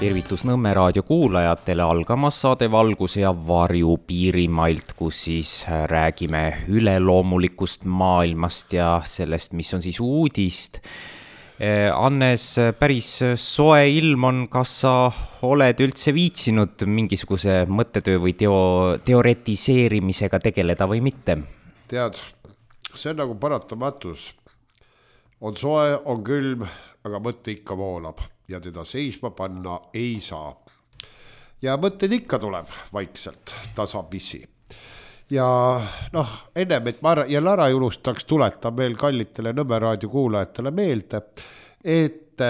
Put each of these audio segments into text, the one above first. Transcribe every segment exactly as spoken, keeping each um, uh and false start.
Tervitus Nõmme raadio kuulajatele, algamas saade Valguse ja varju Piirimailt, kus siis räägime üleloomulikust maailmast ja sellest, mis on siis uudist. Annes, päris soe ilm on, kas sa oled üldse viitsinud mingisuguse mõttetöö või teo, teoretiseerimisega tegeleda või mitte? Tead, see on nagu paratamatus. On soe, on külm, aga mõtte ikka voolab ja teda seisma panna ei saa. Ja mõtted ikka tuleb vaikselt, tasapisi. Ja noh, ennem, et ma jälle ära julustaks, tuletan veel kallitele Nõmme raadio kuulajatele meelde, et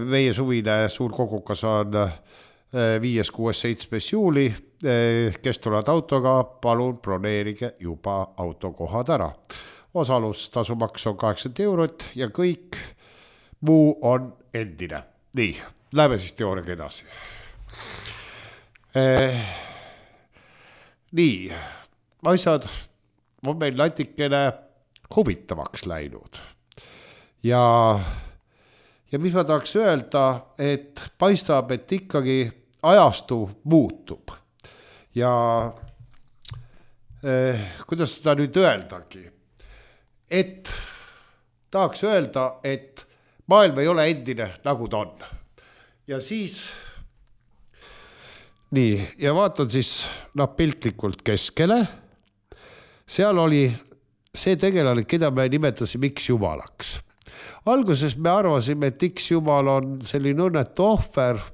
meie suvine suur kogukas on viies, kuues, seitsmes juuli, kes tulevad autoga, palun broneerige juba autokohad ära. Osalustasumaks on kaheksakümmend eurot ja kõik muu on endine. Nii, läheme siis teooriaga edasi. Eh, nii, asjad on meil natikene huvitavaks läinud. Ja, ja mis ma tahaks öelda, et paistab, et ikkagi ajastu muutub. Ja eh, kuidas seda nüüd öeldagi? Et tahaks öelda, et maailm ei ole endine, nagu ta on. Ja siis, nii, ja vaatan siis noh, piltlikult keskele. Seal oli see tegelane, keda me nimetasime X jumalaks. Alguses me arvasime, et X jumal on selline õnnetu ohver,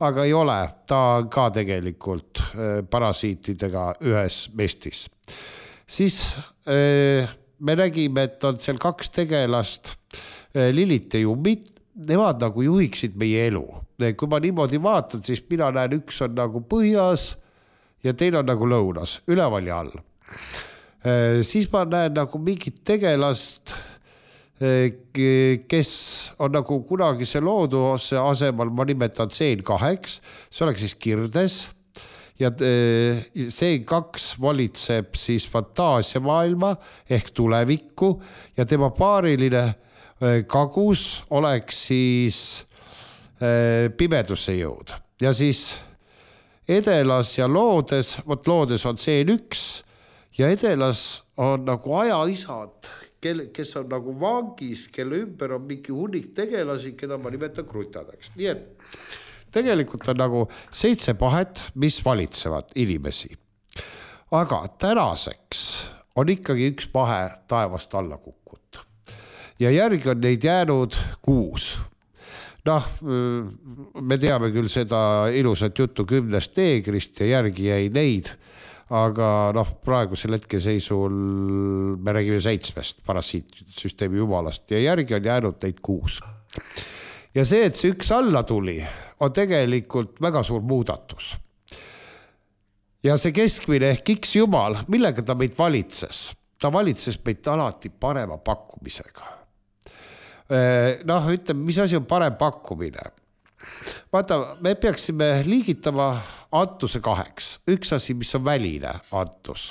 aga ei ole, ta on ka tegelikult parasiitidega ühes mestis. Siis me nägime, et on seal kaks tegelast, Lilit ja Jummit, nemad nagu juhiksid meie elu. Kui ma niimoodi vaatan, siis mina näen, üks on nagu põhjas ja teine on nagu lõunas, üleval ja all. Siis ma näen nagu mingit tegelast, kes on nagu kunagise looduse asemal, ma nimetan C N kaheks, see oleks siis kirdes. Ja C N kaks valitseb siis fantaasiamaailma ehk tulevikku ja tema paariline kagus oleks siis pimedusse jõud. Ja siis edelas ja loodes, võt loodes on C N üks ja edelas on nagu ajaisad, kes on nagu vangis, kelle ümber on mingi hunnik tegelasi, keda ma nimetan krutadeks. Nii et tegelikult on nagu seitse pahet, mis valitsevad inimesi. Aga tänaseks on ikkagi üks pahe taevast alla kukkunud. Ja järgi on neid jäänud kuus. Noh, me teame küll seda ilusat juttu kümnest neegrist ja järgi jäi neid, aga noh, praegusel hetkeseisul me räägime seitsmest parasiitsüsteemi jumalast ja järgi on jäänud neid kuus. Ja see, et see üks alla tuli, on tegelikult väga suur muudatus. Ja see keskmine ehk X jumal, millega ta meid valitses? Ta valitses meid alati parema pakkumisega. Noh, ütleme, mis asi on parem pakkumine? Vaata, me peaksime liigitama antuse kaheks. Üks asi, mis on väline antus.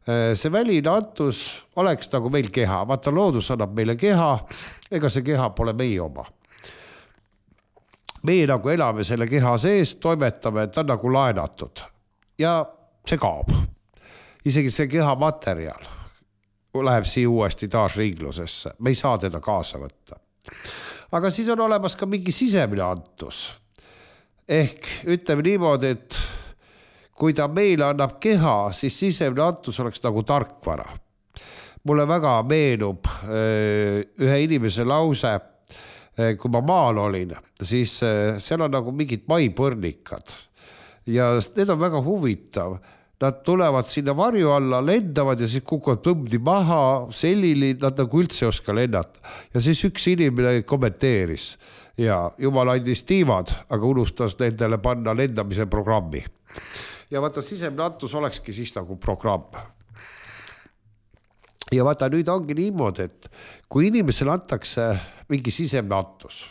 See väline antus oleks nagu meil keha. Vaata, loodus annab meile keha, ega see keha pole meie oma. Meie nagu elame selle keha sees, toimetame, ta on nagu laenatud. Ja see kaob. Isegi see keha materjal läheb siia uuesti taas ringlusesse. Me ei saa teda kaasa võtta. Aga siis on olemas ka mingi sisemine antus. Ehk ütleme niimoodi, et kui ta meile annab keha, siis sisemine antus oleks nagu tarkvara. Mulle väga meenub ühe inimese lause, kui ma maal olin, siis seal on nagu mingid maipõrnikad. Ja need on väga huvitav. Nad tulevad sinna varju alla, lendavad ja siis kukuvad tõmdi maha, sellili, nad nagu üldse ei oska lennata. Ja siis üks inimene kommenteeris. Ja jumal andis tiivad, aga unustas nendele panna lendamise programmi. Ja vaata, sisemine antus olekski siis nagu programm. Ja vaata, nüüd ongi niimoodi, et kui inimesele antakse mingi sisemine antus,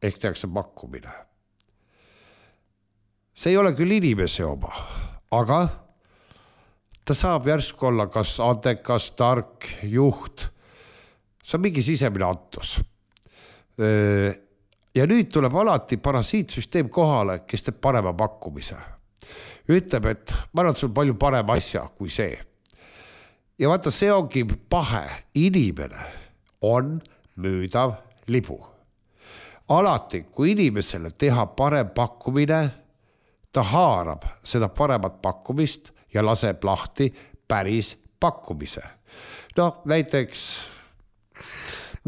ehk tehakse pakkumine. See ei ole küll inimese oma, aga ta saab järsku olla kas andekas, tark, juht. See on mingi sisemine antus. ja nüüd tuleb alati parasiitsüsteem kohale, kes teeb parema pakkumise. Ütleb, et ma arvan, et sul palju parem asja kui see. Ja vaata, see ongi pahe. Inimene on müüdav libu. Alati, kui inimesele teha parem pakkumine, ta haarab seda paremat pakkumist ja laseb lahti päris pakkumise. No näiteks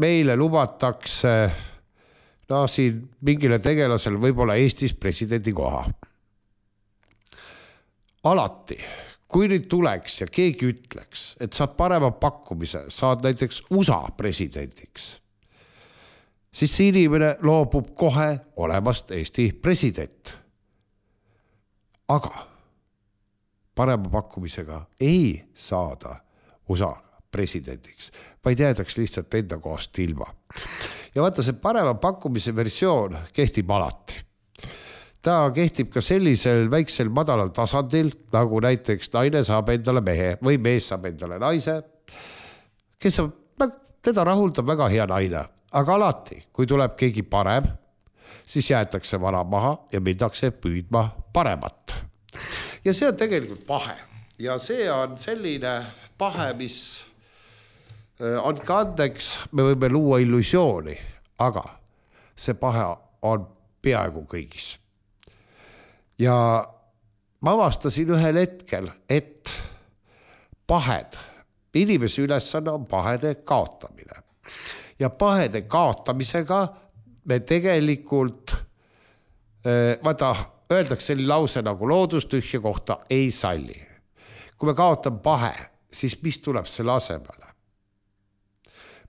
meile lubatakse no, siin mingile tegelasel võib-olla Eestis presidendi koha. Alati, kui nüüd tuleks ja keegi ütleks, et saad parema pakkumise, saad näiteks U S A presidendiks, siis see inimene loobub kohe olemast Eesti president. Aga parema pakkumisega ei saada U S A presidendiks, vaid jäädaks lihtsalt enda kohast ilma. Ja vaata, see parema pakkumise versioon kehtib alati. Ta kehtib ka sellisel väiksel madalal tasandil, nagu näiteks naine saab endale mehe või mees saab endale naise, kes on, teda rahuldab väga hea naine. Aga alati, kui tuleb keegi parem, siis jäetakse vana maha ja mindakse püüdma paremat. Ja see on tegelikult pahe. Ja see on selline pahe, mis on kandeks, me võime luua illusiooni, aga see pahe on peaaegu kõigis. Ja ma avastasin ühel hetkel, et pahed, inimese ülesanne on pahede kaotamine. Ja pahede kaotamisega me tegelikult, vaata, öeldakse selline lause nagu loodustühja kohta ei salli. Kui me kaotame pahe, siis mis tuleb selle asemele?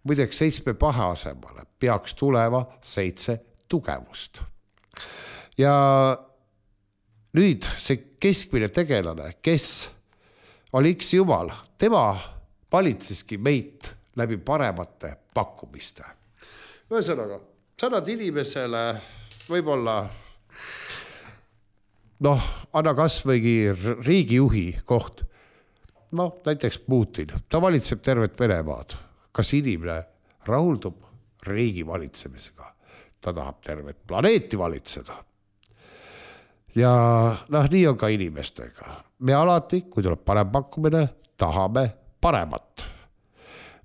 Muideks seitsme pahe asemele peaks tulema seitse tugevust. Ja nüüd see keskmine tegelane, kes oli X jumal, tema valitseski meid läbi paremate pakkumiste. Ühesõnaga, sa annad inimesele võib-olla, noh, anna kas võigi riigijuhi koht, noh, näiteks Putin, ta valitseb tervet Venemaad. Kas inimene rahuldub riigi valitsemisega? Ta tahab tervet planeeti valitseda. Ja noh, nii on ka inimestega. Me alati, kui tuleb parem pakkumine, tahame paremat.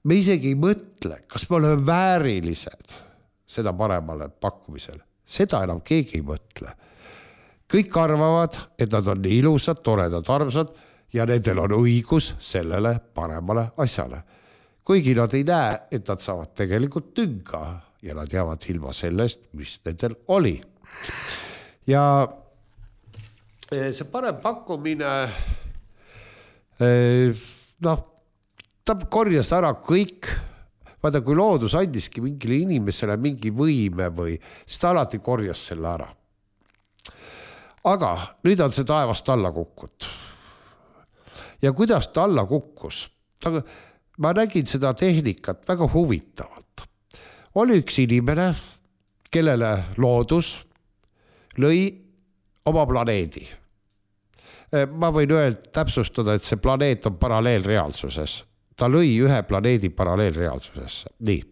Me isegi ei mõtle, kas me oleme väärilised seda paremale pakkumisele. Seda enam keegi ei mõtle. Kõik arvavad, et nad on nii ilusad, toredad, armsad ja nendel on õigus sellele paremale asjale. Kuigi nad ei näe, et nad saavad tegelikult tünga ja nad jäävad ilma sellest, mis nendel oli. Ja see parem pakkumine, noh, ta korjas ära kõik, vaata kui loodus andiski mingile inimesele mingi võime või, siis ta alati korjas selle ära. Aga nüüd on see taevast alla kukkut. Ja kuidas ta alla kukkus? Ta, ma nägin seda tehnikat väga huvitavalt. Oli üks inimene, kellele loodus lõi oma planeedi. Ma võin öelda, täpsustada, et see planeet on paralleelreaalsuses. Ta lõi ühe planeedi paralleelreaalsusesse. Nii.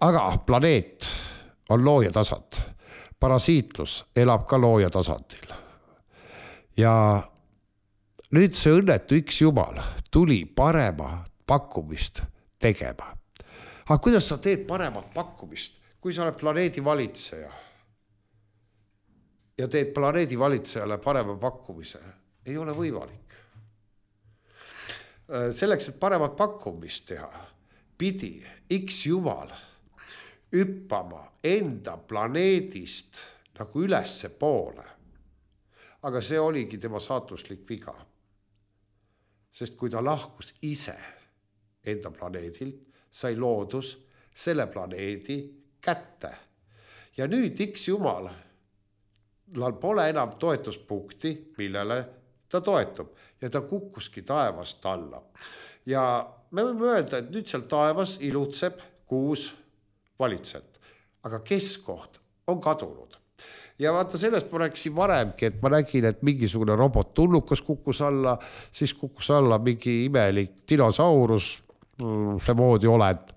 Aga planeet on looja tasand. Parasiitlus elab ka looja tasandil. Ja nüüd see õnnetu X jumal tuli parema pakkumist tegema. Aga kuidas sa teed paremat pakkumist, kui sa oled planeedi valitseja? Ja teed planeedi valitsejale parema pakkumise, ei ole võimalik. Selleks, et paremat pakkumist teha, pidi X jumal hüppama enda planeedist nagu ülesse poole. Aga see oligi tema saatuslik viga. Sest kui ta lahkus ise enda planeedilt, sai loodus selle planeedi kätte. Ja nüüd X jumal tal pole enam toetuspunkti, millele ta toetub ja ta kukkuski taevast alla. Ja me võime öelda, et nüüd seal taevas ilutseb kuus valitsejat, aga keskkoht on kadunud. Ja vaata sellest ma rääkisin varemgi, et ma nägin, et mingisugune robot tullukas kukkus alla, siis kukkus alla mingi imelik dinosaurus, see moodi oled.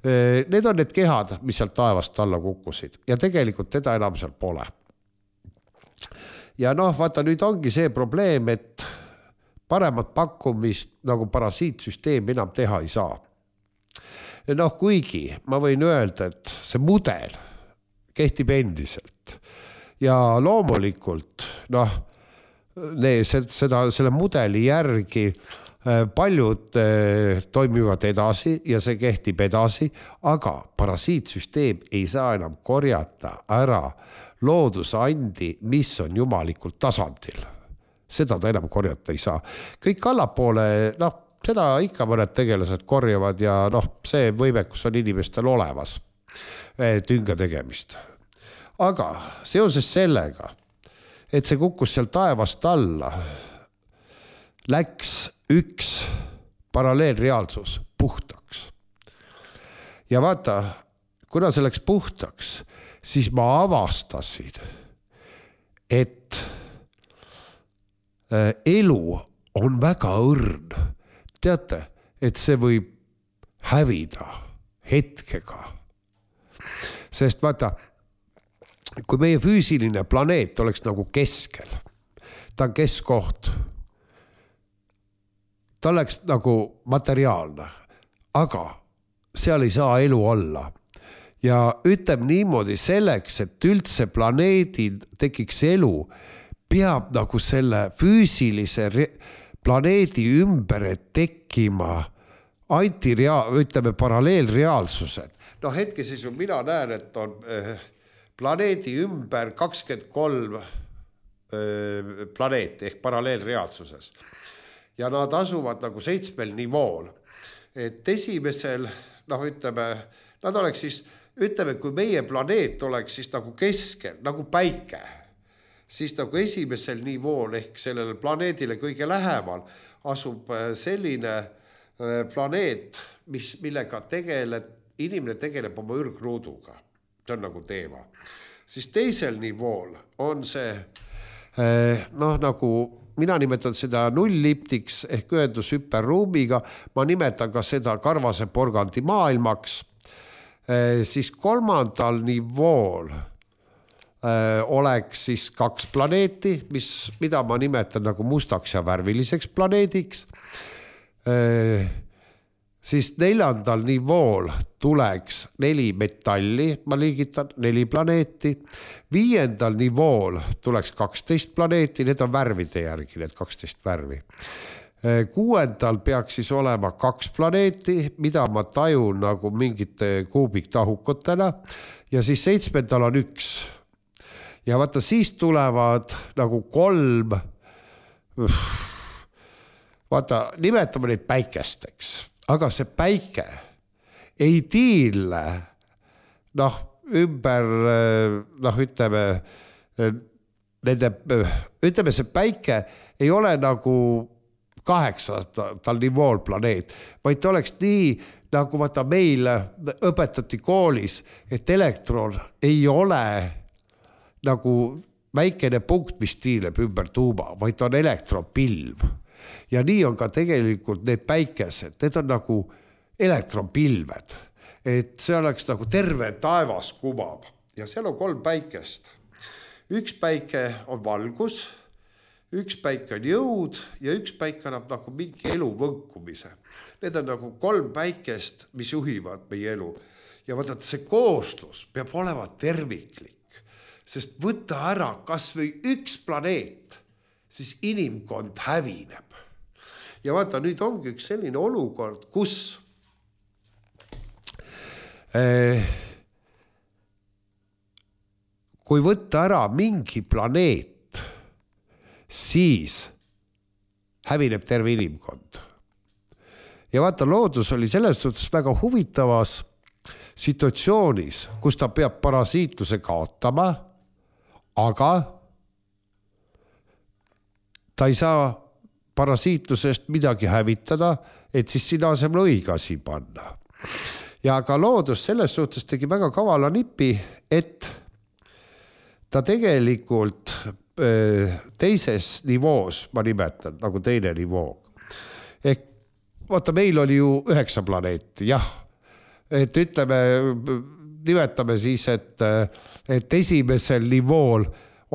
Need on need kehad, mis sealt taevast alla kukkusid ja tegelikult teda enam seal pole. Ja noh, vaata nüüd ongi see probleem, et paremat pakkumist nagu parasiitsüsteem enam teha ei saa. Noh, kuigi ma võin öelda, et see mudel kehtib endiselt ja loomulikult noh, seda, selle mudeli järgi paljud toimivad edasi ja see kehtib edasi, aga parasiitsüsteem ei saa enam korjata ära loodusandi, mis on jumalikult tasandil. Seda ta enam korjata ei saa. Kõik allapoole, noh, seda ikka mõned tegelased korjavad ja noh, see võimekus on inimestel olemas tünga tegemist. Aga seoses sellega, et see kukkus seal taevast alla, läks üks paralleelreaalsus puhtaks. Ja vaata, kuna see läks puhtaks, siis ma avastasin, et elu on väga õrn. Teate, et see võib hävida hetkega. Sest vaata, kui meie füüsiline planeet oleks nagu keskel, ta on keskkoht, ta oleks nagu materiaalne, aga seal ei saa elu olla. Ja ütleb niimoodi selleks, et üldse planeedil tekiks elu, peab nagu selle füüsilise planeedi ümber tekkima antirea-, ütleme paralleelreaalsused. No hetkeseisu mina näen, et on planeedi ümber kakskümmend kolm planeeti ehk paralleelreaalsuses. Ja nad asuvad nagu seitsmel nivool. Et esimesel, noh ütleme, nad oleks siis, ütleme, kui meie planeet oleks siis nagu keskel, nagu päike, siis nagu esimesel nivool ehk sellele planeedile kõige lähemal asub selline planeet, mis, millega tegeleb, inimene tegeleb oma ürgruuduga. See on nagu teema. Siis teisel nivool on see, noh nagu mina nimetan seda nulliptiks ehk ühendus hüperruumiga, ma nimetan ka seda karvase porgandi maailmaks, siis kolmandal nivool oleks siis kaks planeeti, mis, mida ma nimetan nagu mustaks ja värviliseks planeediks. Siis neljandal nivool tuleks neli metalli, ma liigitan neli planeeti. Viiendal nivool tuleks kaksteist planeeti, need on värvide järgi, need kaksteist värvi. Kuuendal peaks siis olema kaks planeeti, mida ma tajun nagu mingite kuubiktahukotena ja siis seitsmendal on üks. Ja vaata, siis tulevad nagu kolm, vaata, nimetame neid päikesteks, aga see päike ei tiile, noh, ümber, noh, ütleme, nende, ütleme, see päike ei ole nagu kaheksatal nivool planeet, vaid ta oleks nii, nagu vaata meil õpetati koolis, et elektron ei ole nagu väikene punkt, mis tiileb ümber tuuma, vaid on elektronpilv. Ja nii on ka tegelikult need päikesed, need on nagu elektronpilved, et see oleks nagu terve taevas kumab ja seal on kolm päikest. Üks päike on valgus, üks päike on jõud ja üks päike annab nagu mingi elu võnkumise. Need on nagu kolm päikest, mis juhivad meie elu. Ja vaata, see kooslus peab olema terviklik, sest võtta ära kas või üks planeet, siis inimkond hävineb. Ja vaata, nüüd ongi üks selline olukord, kus eh, kui võtta ära mingi planeet, siis hävineb terve inimkond. Ja vaata, loodus oli selles suhtes väga huvitavas situatsioonis, kus ta peab parasiitluse kaotama, aga ta ei saa parasiitlusest midagi hävitada, et siis sinna asemel õige asi panna. Ja ka loodus selles suhtes tegi väga kavala nipi, et ta tegelikult teises nivoos, ma nimetan, nagu teine nivoo. Ehk vaata, meil oli ju üheksa planeeti, jah, et ütleme, nimetame siis, et, et esimesel nivool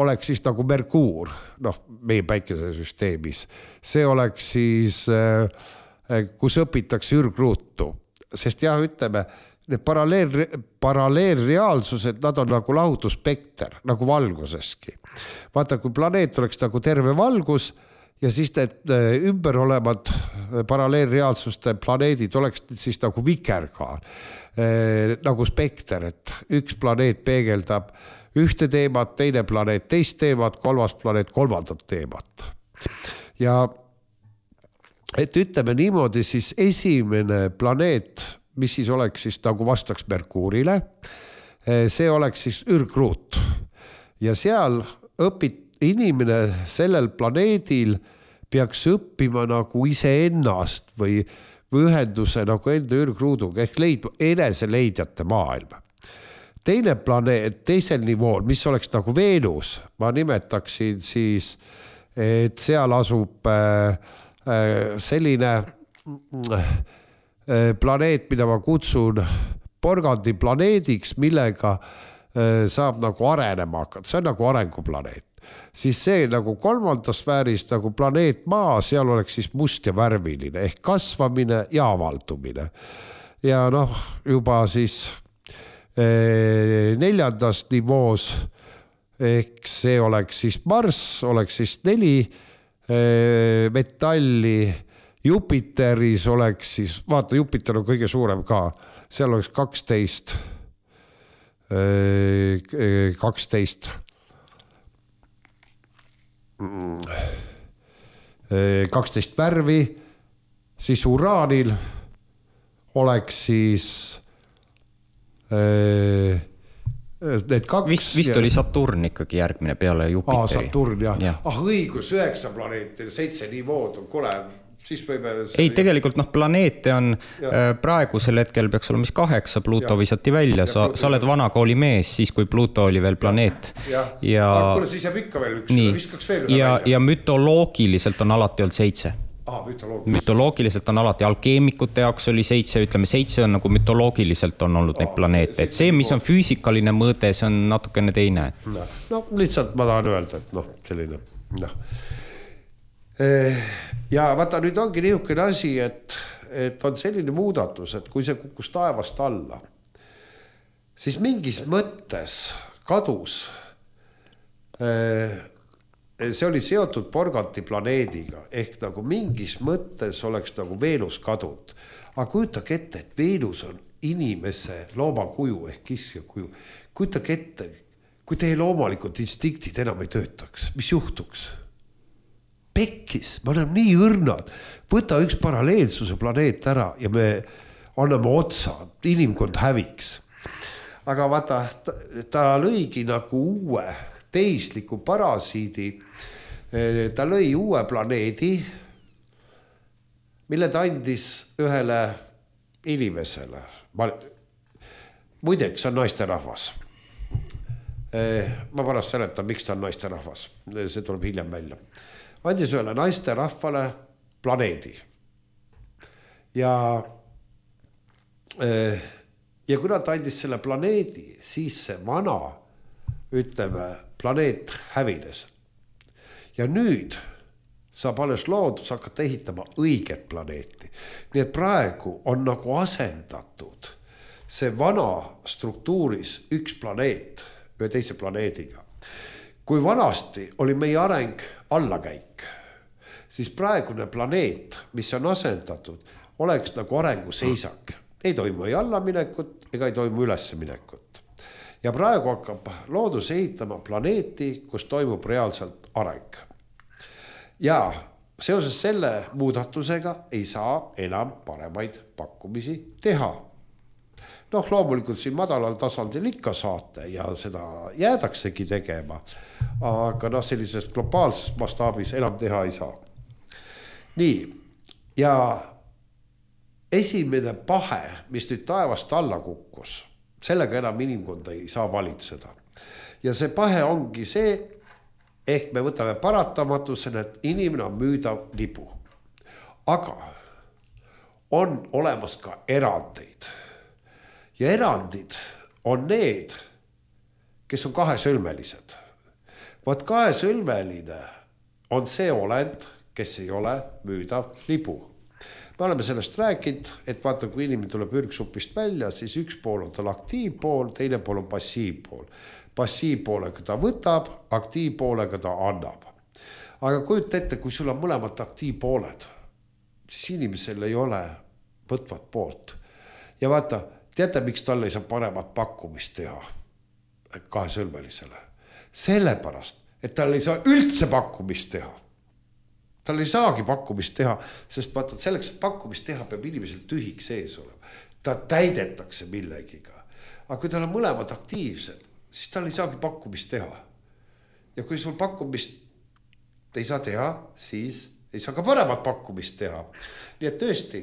oleks siis nagu Merkuur, noh, meie päikesesüsteemis. See oleks siis, kus õpitakse ürgruutu, sest jah, ütleme, need paralleel, paralleelreaalsused, nad on nagu lahutusspekter, nagu valguseski. Vaata, kui planeet oleks nagu terve valgus ja siis need ümber olevad paralleelreaalsuste planeedid oleks siis nagu vikerkaar, nagu spekter, et üks planeet peegeldab ühte teemat, teine planeet teist teemat, kolmas planeet kolmandat teemat. Ja et ütleme niimoodi, siis esimene planeet, mis siis oleks siis nagu vastaks Merkuurile, see oleks siis ürgruut. Ja seal õpid inimene sellel planeedil peaks õppima nagu iseennast või, või ühenduse nagu enda ürgruuduga ehk leidma enese leidjate maailma. Teine planeet, teisel nivool, mis oleks nagu Veenus, ma nimetaksin siis, et seal asub selline planeet, mida ma kutsun porgandi planeediks, millega saab nagu arenema hakata. See on nagu arenguplaneet. Siis see nagu kolmandas sfääris nagu planeet Maa, seal oleks siis must ja värviline ehk kasvamine ja avaldumine. Ja noh, juba siis neljandas nivoos ehk see oleks siis Marss, oleks siis neli metalli, Jupiteris oleks siis, vaata, Jupiter on kõige suurem ka, seal oleks kaksteist, kaksteist, kaksteist värvi, siis Uraanil oleks siis need kaks. Vist, vist oli Saturn ikkagi järgmine peale Jupiteri. Aa, Saturn, jah. Ja. Ah, õigus, üheksa planeeti, seitse nivood on kole. Siis võime... Ei, tegelikult noh, planeete on ja. Praegusel hetkel peaks olema mis kaheksa, Pluto ja. Visati välja. Sa, ja, sa oled vanakooli mees, siis kui Pluto oli veel planeet. Ja, ja... ja... kuule, siis jääb ikka veel üks, viskaks veel üle ja, välja. Ja mütoloogiliselt on alati olnud seitse. Ah, mütoloogiliselt. mütoloogiliselt on alati, alkeemikute jaoks oli seitse, ütleme seitse on nagu mütoloogiliselt on olnud ah, neid planeete, see, et see, mis on füüsikaline mõõde, see on natukene teine. No, no lihtsalt ma tahan öelda, et noh, selline, noh. Ja vaata, nüüd ongi niisugune asi, et, et on selline muudatus, et kui see kukkus taevast alla, siis mingis mõttes kadus see oli seotud porganti planeediga, ehk nagu mingis mõttes oleks nagu Veenus kadud. Aga kujutage ette, et Veenus on inimese loomakuju ehk kisja kuju. Kujutage ette, kui teie loomalikud instinktid enam ei töötaks, mis juhtuks? Pekkis, me oleme nii õrnad. Võta üks paralleelsuse planeet ära ja me anname otsa, inimkond häviks. Aga vaata, ta, ta lõigi nagu uue teisliku parasiidi, ta lõi uue planeedi, mille ta andis ühele inimesele. Muideks on naisterahvas. Ma pärast seletan, miks ta on naisterahvas. See tuleb hiljem välja. Andis ühele naisterahvale planeedi. Ja, ja kuna ta andis selle planeedi, siis see vana, ütleme, planeet hävines. Ja nüüd saab alles loodus hakata ehitama õiget planeeti. Nii et praegu on nagu asendatud see vana struktuuris üks planeet ühe teise planeediga. Kui vanasti oli meie areng allakäik, siis praegune planeet, mis on asendatud, oleks nagu arenguseisak. Ei toimu ei allaminekut ega ei toimu ülesminekut. Ja praegu hakkab loodus ehitama planeeti, kus toimub reaalselt areng. Ja seoses selle muudatusega ei saa enam paremaid pakkumisi teha. Noh, loomulikult siin madalal tasandil ikka saate ja seda jäädaksegi tegema, aga noh, sellisest globaalsest mastaabis enam teha ei saa. Nii, ja esimene pahe, mis nüüd taevast alla kukkus, sellega enam inimkonda ei saa valitseda. Ja see pahe ongi see, ehk me võtame paratamatusena, et inimene on müüdav libu. Aga on olemas ka erandeid. ja erandid on need, kes on kahesõlmelised. Vaat kahesõlmeline on see olend, kes ei ole müüdav libu. Me oleme sellest rääkinud, et vaata, kui inimene tuleb ürgsupist välja, siis üks pool on tal aktiivpool, teine pool on passiivpool. Passiivpoolega ta võtab, aktiivpoolega ta annab. Aga kujuta ette, kui sul on mõlemad aktiivpooled, siis inimesel ei ole võtvat poolt. Ja vaata, teate, miks tal ei saa paremat pakkumist teha kahesõlmelisele? Sellepärast, et tal ei saa üldse pakkumist teha. Tal ei saagi pakkumist teha, sest vaata, selleks, et pakkumist teha, peab inimesel tühik sees olema. Ta täidetakse millegiga. Aga kui tal on mõlemad aktiivsed, siis tal ei saagi pakkumist teha. Ja kui sul pakkumist ei saa teha, siis ei saa ka paremat pakkumist teha. Nii et tõesti,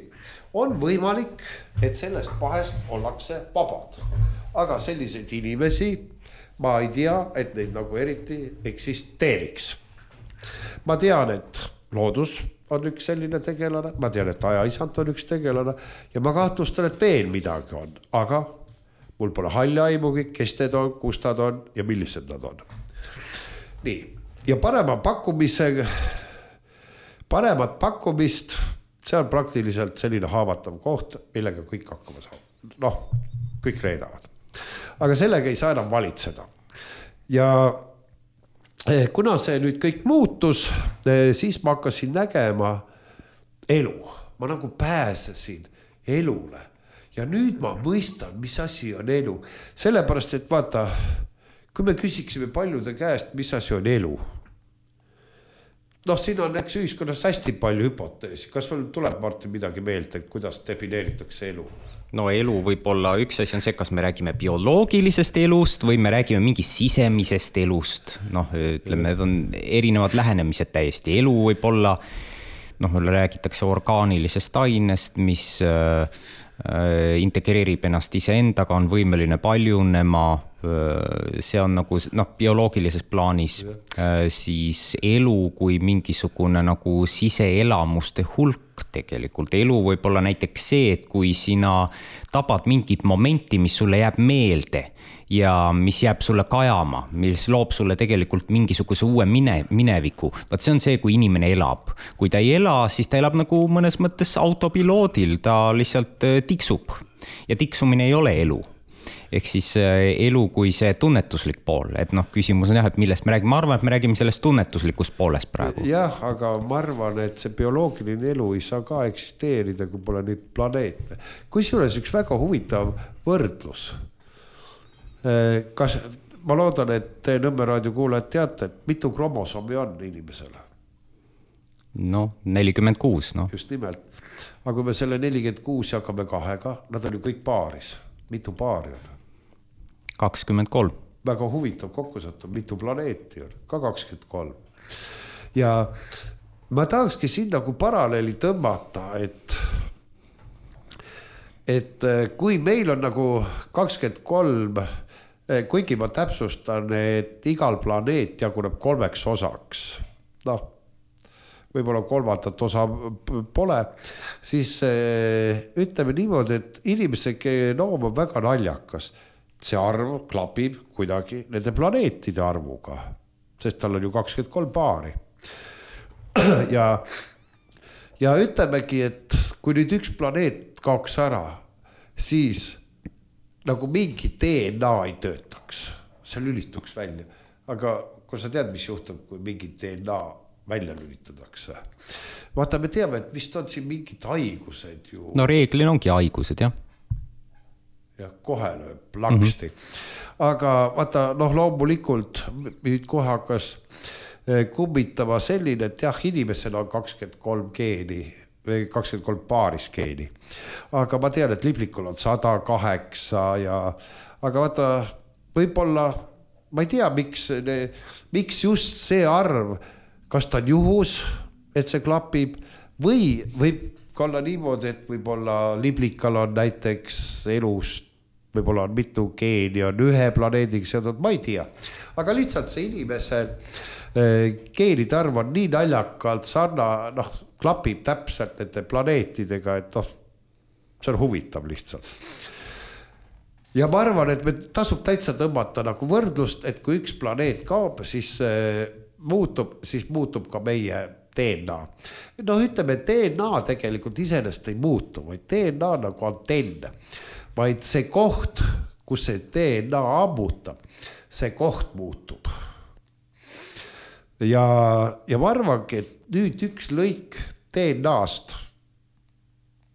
on võimalik, et sellest pahest ollakse vabad. Aga selliseid inimesi, ma ei tea, et neid nagu eriti eksisteeriks. Ma tean, et loodus on üks selline tegelane, ma tean, et ajaisand on üks tegelane ja ma kahtlustan, et veel midagi on, aga mul pole halli aimugi, kes need on, kus nad on ja millised nad on. Nii, ja parema pakkumise, paremat pakkumist, see on praktiliselt selline haavatav koht, millega kõik hakkama saab. Noh, kõik reedavad. Aga sellega ei saa enam valitseda. Ja kuna see nüüd kõik muutus, siis ma hakkasin nägema elu. Ma nagu pääsesin elule. Ja nüüd ma mõistan, mis asi on elu. Sellepärast, et vaata, kui me küsiksime paljude käest, mis asi on elu. Noh, siin on eks ühiskonnas hästi palju hüpoteesi. Kas sul tuleb, Martin, midagi meelde, et kuidas defineeritakse elu? No elu võib olla, üks asi on see, kas me räägime bioloogilisest elust või me räägime mingist sisemisest elust. Noh, ütleme, need on erinevad lähenemised täiesti. Elu võib olla, noh, räägitakse orgaanilisest ainest, mis äh, integreerib ennast iseendaga, on võimeline paljunema, see on nagu noh, bioloogilises plaanis, siis elu kui mingisugune nagu siseelamuste hulk tegelikult. Elu võib olla näiteks see, et kui sina tabad mingit momenti, mis sulle jääb meelde ja mis jääb sulle kajama, mis loob sulle tegelikult mingisuguse uue mine, mineviku. Vaat see on see, kui inimene elab. Kui ta ei ela, siis ta elab nagu mõnes mõttes autopiloodil, ta lihtsalt tiksub ja tiksumine ei ole elu. Ehk siis elu kui see tunnetuslik pool, et noh, küsimus on jah, et millest me räägime. Ma arvan, et me räägime sellest tunnetuslikust poolest praegu. Jah, aga ma arvan, et see bioloogiline elu ei saa ka eksisteerida, kui pole neid planeete. Kui suures üks väga huvitav võrdlus. Kas, ma loodan, et Nõmme raadio kuulajad teate, et mitu kromosomi on inimesele? No, nelikümmend kuus, no. Just nimelt. Aga kui me selle nelikümmend kuus jagame kahega, nad on ju kõik paaris. Mitu paari on? kakskümmend kolm. Väga huvitav kokkusattu, mitu planeeti on? Ka kakskümmend kolm. Ja ma tahakski siin nagu paralleeli tõmmata, et, et kui meil on nagu kakskümmend kolm, kuigi ma täpsustan, et igal planeet jaguneb kolmeks osaks, noh, võib-olla kolmandat osa pole, siis ütleme niimoodi, et inimese genoom on väga naljakas. See arv klapib kuidagi nende planeetide arvuga, sest tal on ju kakskümmend kolm paari. Ja, ja ütlemegi, et kui nüüd üks planeet kaoks ära, siis nagu mingi D N A ei töötaks, see lülituks välja. Aga kui sa tead, mis juhtub, kui mingi D N A välja lülitatakse. Vaata, me teame, et vist on siin mingid haigused ju. No reeglina ongi haigused, jah. Ja kohe lööb plaksti. Mm-hmm. Aga vaata, noh, loomulikult nüüd kohe hakkas kummitama selline, et jah, inimesel on kakskümmend kolm geeni, kakskümmend kolm paaris geeni. Aga ma tean, et liblikul on sada kaheksa ja, aga vaata, võib-olla, ma ei tea, miks, miks just see arv, kas ta on juhus, et see klapib või võib olla niimoodi, et võib-olla liblikal on näiteks elust, võib-olla on mitu geeni, on ühe planeediga seotud, ma ei tea. Aga lihtsalt see inimese geenide arv on nii naljakalt sarna, noh, klapib täpselt nende planeetidega, et noh, see on huvitav lihtsalt. ja ma arvan, et me tasub täitsa tõmmata nagu võrdlust, et kui üks planeet kaob, siis muutub, siis muutub ka meie D N A. No ütleme, et D N A tegelikult iseenesest ei muutu, vaid D N A nagu antenn, vaid see koht, kus see D N A ammutab, see koht muutub. Ja, ja ma arvangi, et nüüd üks lõik D N A-st,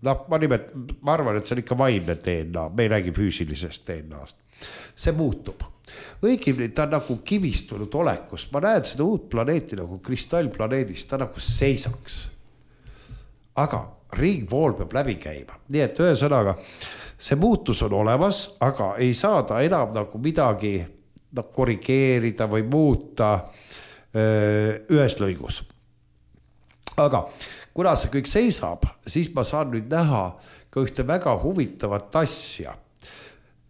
no ma nimet, ma arvan, et see on ikka vaimne D N A, me ei räägi füüsilisest D N A-st. See muutub. Õigemini ta on nagu kivistunud olekust. Ma näen seda uut planeeti nagu kristallplaneedist, ta nagu seisaks. Aga ringvool peab läbi käima. Nii et ühesõnaga, see muutus on olemas, aga ei saa ta enam nagu midagi no, korrigeerida või muuta öö, ühes lõigus. Aga kuna see kõik seisab, siis ma saan nüüd näha ka ühte väga huvitavat asja.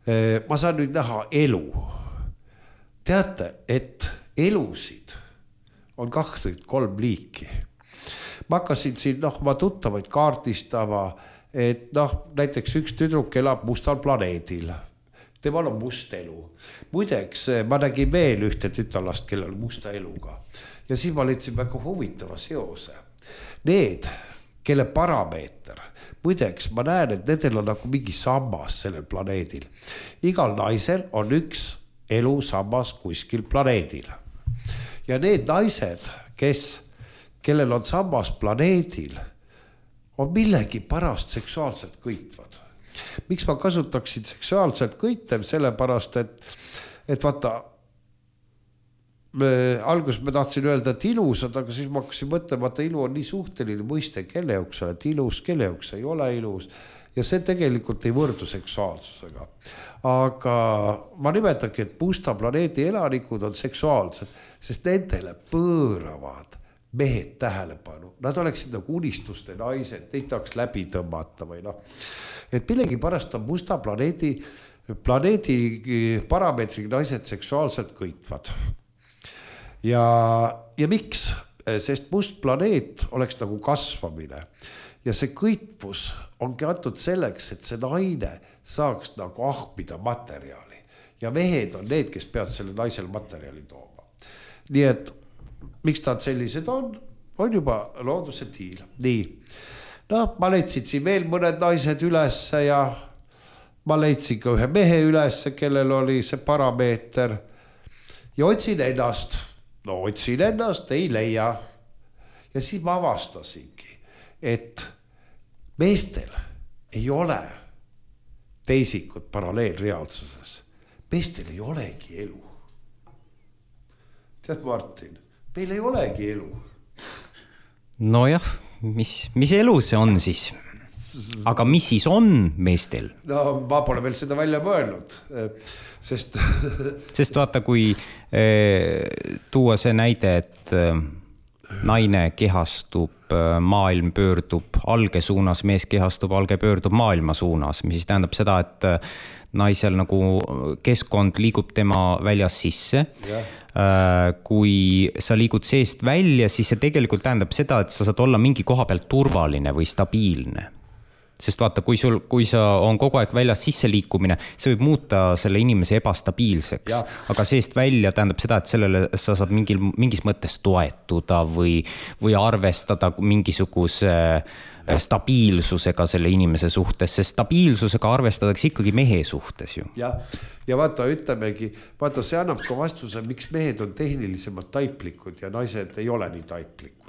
Ma saan nüüd näha elu. Teate, et elusid on kaks või kolm liiki. Ma hakkasin siin noh, ma tuttavaid kaardistama, et noh, näiteks üks tüdruk elab mustal planeedil. Temal on must elu. Muideks, ma nägin veel ühte tütallast, kellel on musta eluga. Ja siis ma leidsin väga huvitava seose. Need, kelle parameeter, muideks ma näen, et nendel on nagu mingi sammas sellel planeedil. Igal naisel on üks elu sammas kuskil planeedil. Ja need naised, kes, kellel on sammas planeedil, on millegi parast seksuaalselt kõitvad. Miks ma kasutaksin seksuaalselt kõitev? Sellepärast, et, et vaata, Me, alguses me tahtsin öelda, et ilusad, aga siis ma hakkasin mõtlema, et ilu on nii suhteline mõiste, kelle jaoks sa oled ilus, kelle jaoks ei ole ilus. Ja see tegelikult ei võrdu seksuaalsusega. Aga ma nimetagi, et musta planeedi elanikud on seksuaalsed, sest nendele pööravad mehed tähelepanu. Nad oleksid nagu unistuste naised, neid tahaks läbi tõmmata või noh. Et millegi pärast on musta planeedi, planeedi parameetri naised seksuaalselt kõitvad. Ja, ja miks? Sest must planeet oleks nagu kasvamine. Ja see kõitvus ongi antud selleks, et see naine saaks nagu ahmida materjali. Ja mehed on need, kes peavad selle naisel materjali tooma. Nii et miks ta sellised on? On juba looduse tiil. Nii. No, ma leidsin siin veel mõned naised ülesse ja ma leidsin ka ühe mehe ülesse, kellel oli see parameeter. Ja otsin ennast. No otsin ennast, ei leia. Ja siis ma avastasingi, et meestel ei ole teisikut paralleelreaalsuses. Meestel ei olegi elu. Tead, Martin, meil ei olegi elu. No jah, mis, mis elu see on siis? Aga mis siis on meestel? No ma pole veel seda välja mõelnud, sest... sest vaata, kui eh, tuua see näide, et eh, naine kehastub, maailm pöördub alge suunas, mees kehastub, alge pöördub maailma suunas, mis siis tähendab seda, et naisel nagu keskkond liigub tema väljas sisse. Ja. Kui sa liigud seest välja, siis see tegelikult tähendab seda, et sa saad olla mingi koha pealt turvaline või stabiilne. Sest vaata, kui, sul, kui sa on kogu aeg väljas sisse liikumine, see võib muuta selle inimese ebastabiilseks. Ja. Aga seest välja tähendab seda, et sellele sa saad mingil, mingis mõttes toetuda või, või arvestada mingisuguse stabiilsusega selle inimese suhtes, sest stabiilsusega arvestatakse ikkagi mehe suhtes ju. Ja, ja vaata, ütlemegi, vaata, see annab ka vastuse, miks mehed on tehnilisemalt taiplikud ja naised ei ole nii taiplikud.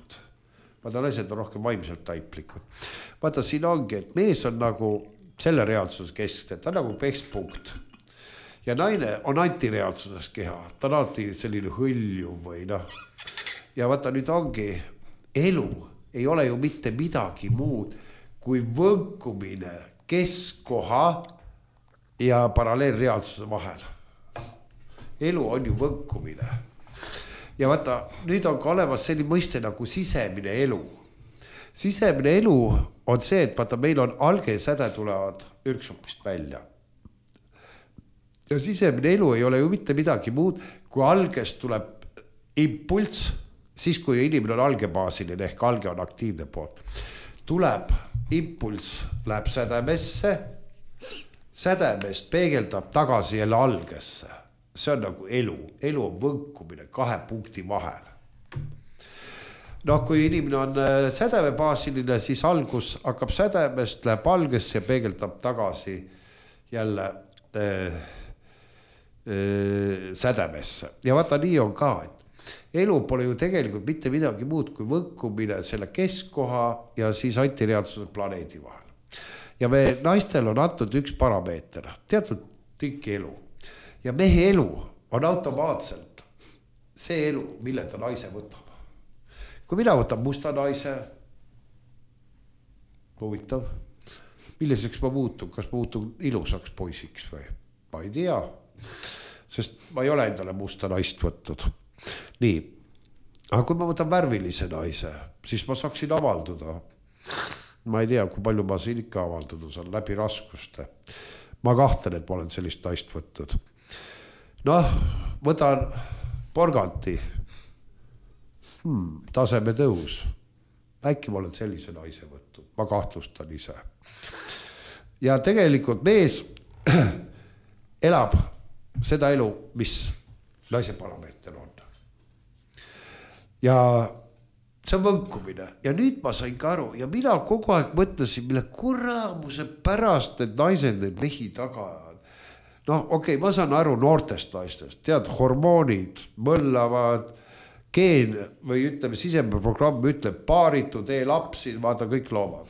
Vaata, naised on rohkem vaimselt taiplikud. Vaata, siin ongi, et mees on nagu selle reaalsuses keskne, ta on nagu keskpunkt. Ja naine on antireaalsuses keha, ta on alati selline hõlju või noh. Ja vaata, nüüd ongi, elu ei ole ju mitte midagi muud kui võnkumine keskkoha ja paralleelreaalsuse vahel. Elu on ju võnkumine. Ja vaata, nüüd on ka olemas selline mõiste nagu sisemine elu. Sisemine elu on see, et vaata, meil on alge säde tulevad ürksupist välja. Ja sisemine elu ei ole ju mitte midagi muud, kui algest tuleb impulss, siis kui inimene on algebaasiline ehk alge on aktiivne poolt. Tuleb impulss, läheb sädemesse sädemest peegeldab tagasi jälle algesse. See on nagu elu. Elu on võnkumine kahe punkti vahel. No kui inimene on sädemebaasiline, siis algus hakkab sädemest, läheb algesse ja peegeldab tagasi jälle äh, äh, sädemesse. Ja vaata, nii on ka, et elu pole ju tegelikult mitte midagi muud kui võnkumine selle keskkoha ja siis antireaalsuse planeedi vahel. Ja me naistel on antud üks parameeter, teatud tükki elu. Ja mehe elu on automaatselt see elu, mille ta naise võtab. Kui mina võtan musta naise, huvitav, milliseks ma muutun, kas ma muutun ilusaks poisiks või? Ma ei tea, sest ma ei ole endale musta naist võttud. Nii, aga kui ma võtan värvilise naise, siis ma saaksin avalduda. Ma ei tea, kui palju ma siin ikka avalduda saan läbi raskuste. Ma kahtlen, et ma olen sellist naist võtnud. Noh, võtan porganti. Hmm, taseme tõus. Äkki ma olen sellise naise võtnud. Ma kahtlustan ise. Ja tegelikult mees elab seda elu, mis naise parameeter on. Ja see on võnkumine. Ja nüüd ma sain ka aru. Ja mina kogu aeg mõtlesin, mille kuramuse pärast need naised, need mehi taga ajavad. No okei, okay, ma saan aru noortest naistest. Tead, hormoonid mõllavad, geen või ütleme, sisemeprogramm ütleb paaritu, tee lapsi, vaata kõik loomad.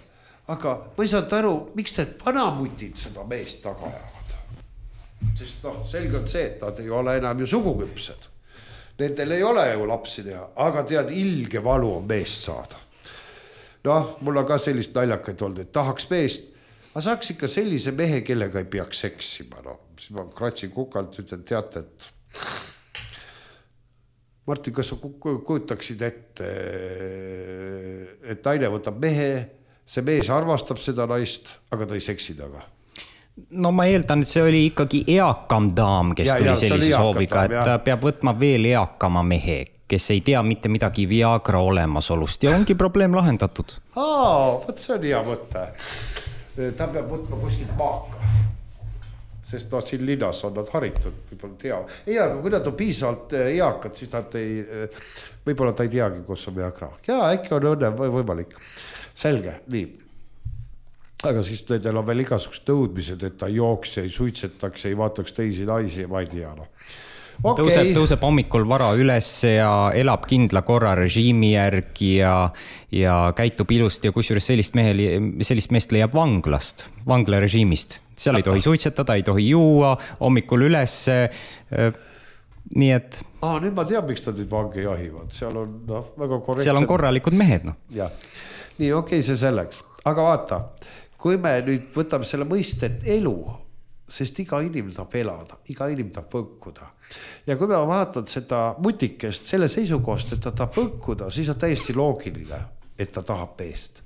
Aga ma ei saanud aru, miks need vanamutid seda meest taga ajavad. Sest noh, selge on see, et nad ei ole enam ju suguküpsed. Nendel ei ole ju lapsi teha, aga tead, ilge valu on meest saada. Noh, mul on ka sellist naljakaid olnud, et tahaks meest, aga saaks ikka sellise mehe, kellega ei peaks seksima. No, siis ma kratsin kukalt, ütlen, teate, et Martin, kas sa kujutaksid ette, et naine võtab mehe, see mees armastab seda naist, aga ta ei seksi taga? No ma eeldan, et see oli ikkagi eakam daam, kes ja, tuli ja, sellise sooviga, daam, et ta peab võtma veel eakama mehe, kes ei tea mitte midagi Viagra olemasolust ja ongi probleem lahendatud. Aa, võt see on hea mõte. Ta peab võtma kuskilt maaka. Sest no siin linnas on nad haritud, võib-olla tea. Ei, aga kui nad on piisavalt eakad, siis nad ei, võib-olla ta ei teagi, kus on Viagra. Ja, äkki on õnne või võimalik. Selge, nii. Aga siis nendel on veel igasugused nõudmised, et ta jooks ja ei suitsetaks, ei vaataks teisi naisi ja ma ei tea. No. Okay. Tõuseb, tõuseb hommikul vara üles ja elab kindla korra režiimi järgi ja, ja käitub ilusti ja kusjuures sellist, mehe, sellist meest leiab vanglast, vangla režiimist. Seal ei tohi suitsetada, ei tohi juua, hommikul üles. Nii et... Ah, nüüd ma tean, miks ta nüüd vange jahivad. Seal on no, väga korrektsed... Seal on korralikud mehed. No. Ja. Nii, okei, okay, see selleks. Aga vaata, kui me nüüd võtame selle mõistet elu, sest iga inimene tahab elada, iga inimene tahab võnkuda. Ja kui me vaatad seda mutikest selle seisukohast, et ta tahab võnkuda, siis on täiesti loogiline, et ta tahab meest.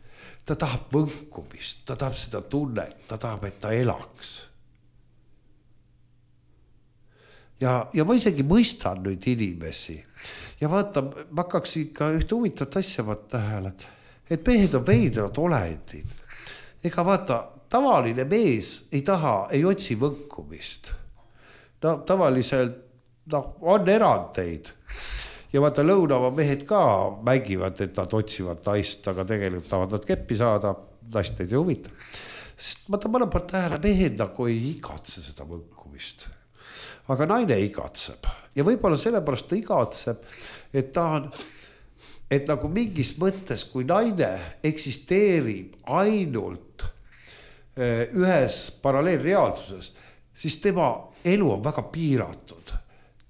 Ta tahab võnkumist, ta tahab seda tunnet, ta tahab, et ta elaks. Ja, ja ma isegi mõistan nüüd inimesi. Ja vaata, ma hakkaks ikka ühte huvitavat asja vaata tähele, et mehed on veidrad olendid. Ega vaata, tavaline mees ei taha, ei otsi võnkumist. No tavaliselt no, on erandeid. Ja vaata, lõunava mehed ka mängivad, et nad otsivad naist, aga tegelikult tahavad nad keppi saada, naist neid ei huvita. Sest vaata, ma olen paar tähele, mehed nagu ei igatse seda võnkumist. Aga naine igatseb. Ja võib-olla sellepärast ta igatseb, et ta on... et nagu mingis mõttes, kui naine eksisteerib ainult ühes paralleelreaalsuses, siis tema elu on väga piiratud.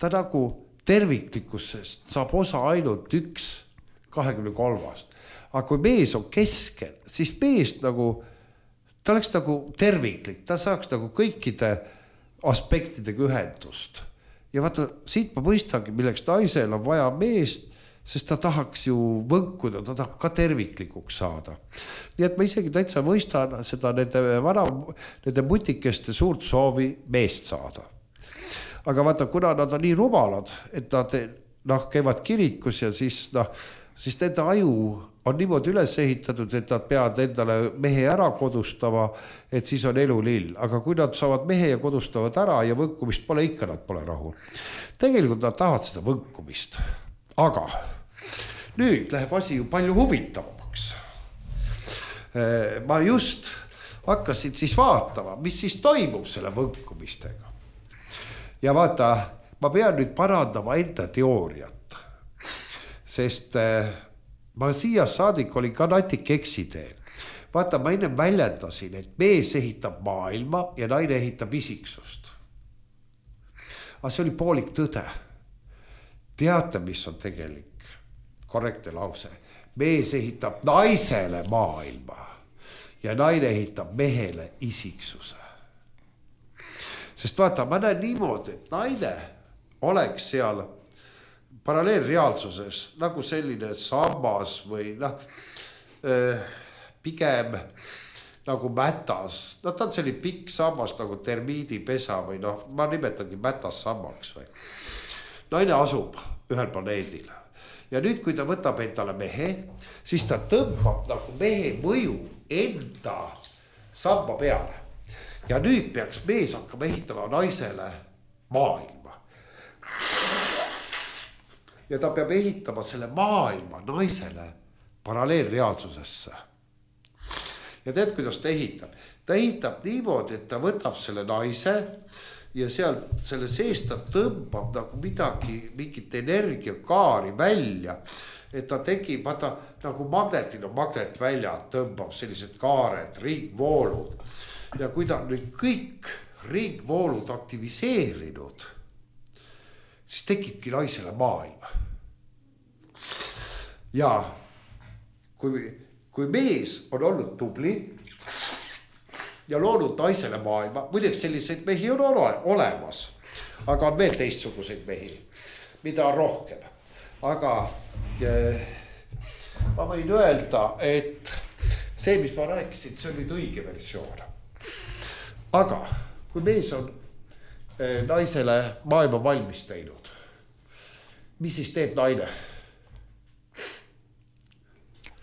Ta nagu terviklikkusest saab osa ainult üks kahekümne kolmast. Aga kui mees on keskel, siis mees nagu, ta oleks nagu terviklik, ta saaks nagu kõikide aspektidega ühendust. Ja vaata, siit ma mõistangi, milleks naisel on vaja meest, sest ta tahaks ju võnkuda, ta tahab ka terviklikuks saada. Nii et ma isegi täitsa mõistan seda nende, vana, nende mutikeste suurt soovi meest saada. Aga vaata, kuna nad on nii rumalad, et nad noh, käivad kirikus ja siis noh, siis nende aju on niimoodi üles ehitatud, et nad peavad endale mehe ära kodustama, et siis on elu lill. Aga kui nad saavad mehe ja kodustavad ära ja võnkumist pole, ikka nad pole rahul. Tegelikult nad tahavad seda võnkumist. Aga nüüd läheb asi ju palju huvitavamaks. Ma just hakkasin siis vaatama, mis siis toimub selle võnkumistega. Ja vaata, ma pean nüüd parandama enda teooriat, sest ma siia saadik olin ka natik eksiteel. Vaata, ma enne väljendasin, et mees ehitab maailma ja naine ehitab isiksust. Aga see oli poolik tõde. Teate, mis on tegelik korrektne lause? Mees ehitab naisele maailma ja naine ehitab mehele isiksuse. Sest vaata, ma näen niimoodi, et naine oleks seal paralleelreaalsuses nagu selline sammas või noh, pigem nagu mätas. No ta on selline pikk sammas nagu termiidipesa või noh, ma nimetangi mätas sammaks või. Naine asub ühel planeedil. Ja nüüd, kui ta võtab endale mehe, siis ta tõmbab nagu mehe mõju enda samba peale. Ja nüüd peaks mees hakkama ehitama naisele maailma. Ja ta peab ehitama selle maailma naisele paralleelreaalsusesse. Ja tead, kuidas ta ehitab? Ta ehitab niimoodi, et ta võtab selle naise ja seal selle sees ta tõmbab nagu midagi, mingit energiakaari välja, et ta tekib, vaata, nagu magnetil on magnet välja, tõmbab sellised kaared, ringvoolud. Ja kui ta nüüd kõik ringvoolud aktiviseerinud, siis tekibki naisele maailma. Ja kui, kui mees on olnud tubli ja loonud naisele maailma, muideks selliseid mehi on ole, olemas, aga on veel teistsuguseid mehi, mida on rohkem. Aga eh, ma võin öelda, et see, mis ma rääkisin, see on nüüd õige versioon. Aga kui mees on eh, naisele maailma valmis teinud, mis siis teeb naine?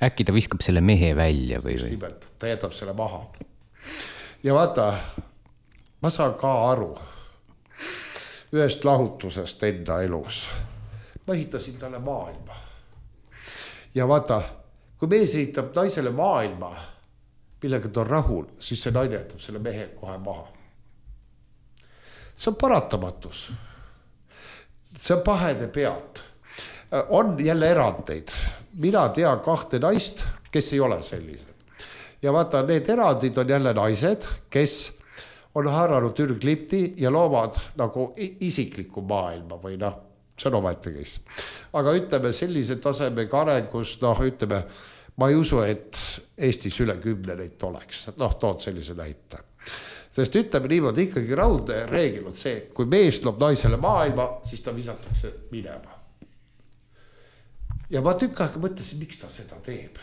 Äkki ta viskab selle mehe välja või? või? Nimelt, ta jätab selle maha. Ja vaata, ma saan ka aru ühest lahutusest enda elus. Ma ehitasin talle maailma. Ja vaata, kui mees ehitab naisele maailma, millega ta on rahul, siis see naine jätab selle mehe kohe maha. See on paratamatus. See on pahede pealt. On jälle erandeid. Mina tean kahte naist, kes ei ole sellised. Ja vaata, need erandid on jälle naised, kes on haaranud ürglipti ja loovad nagu isikliku maailma või noh, see on omaette kes. Aga ütleme sellise tasemega arengus, noh ütleme, ma ei usu, et Eestis üle kümne neid oleks. Noh, tood sellise näite. Sest ütleme niimoodi, ikkagi raudne reegel on see, kui mees loob naisele maailma, siis ta visatakse minema. Ja ma tükk aega mõtlesin, miks ta seda teeb.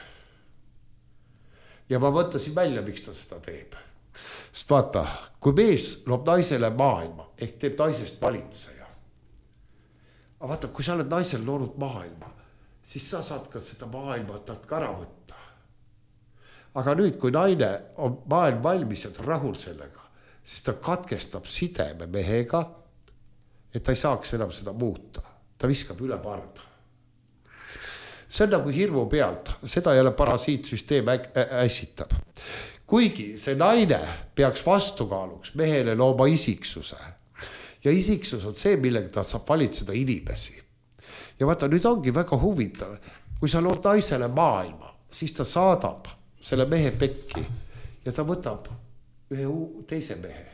Ja ma mõtlesin välja, miks ta seda teeb. Sest vaata, kui mees loob naisele maailma, ehk teeb naisest valitseja. Aga vaata, kui sa oled naisel loonud maailma, siis sa saad ka seda maailma talt ka ära võtta. Aga nüüd, kui naine on maailm valmis ja ta rahul sellega, siis ta katkestab sideme mehega, et ta ei saaks enam seda muuta. Ta viskab üle parda. See on nagu hirmu pealt, seda ei ole parasiitsüsteem ässitab. Kuigi see naine peaks vastukaaluks mehele looma isiksuse. Ja isiksus on see, millega ta saab valitseda inimesi. Ja vaata, nüüd ongi väga huvitav. Kui sa lood naisele maailma, siis ta saadab selle mehe pekki ja ta võtab ühe teise mehe,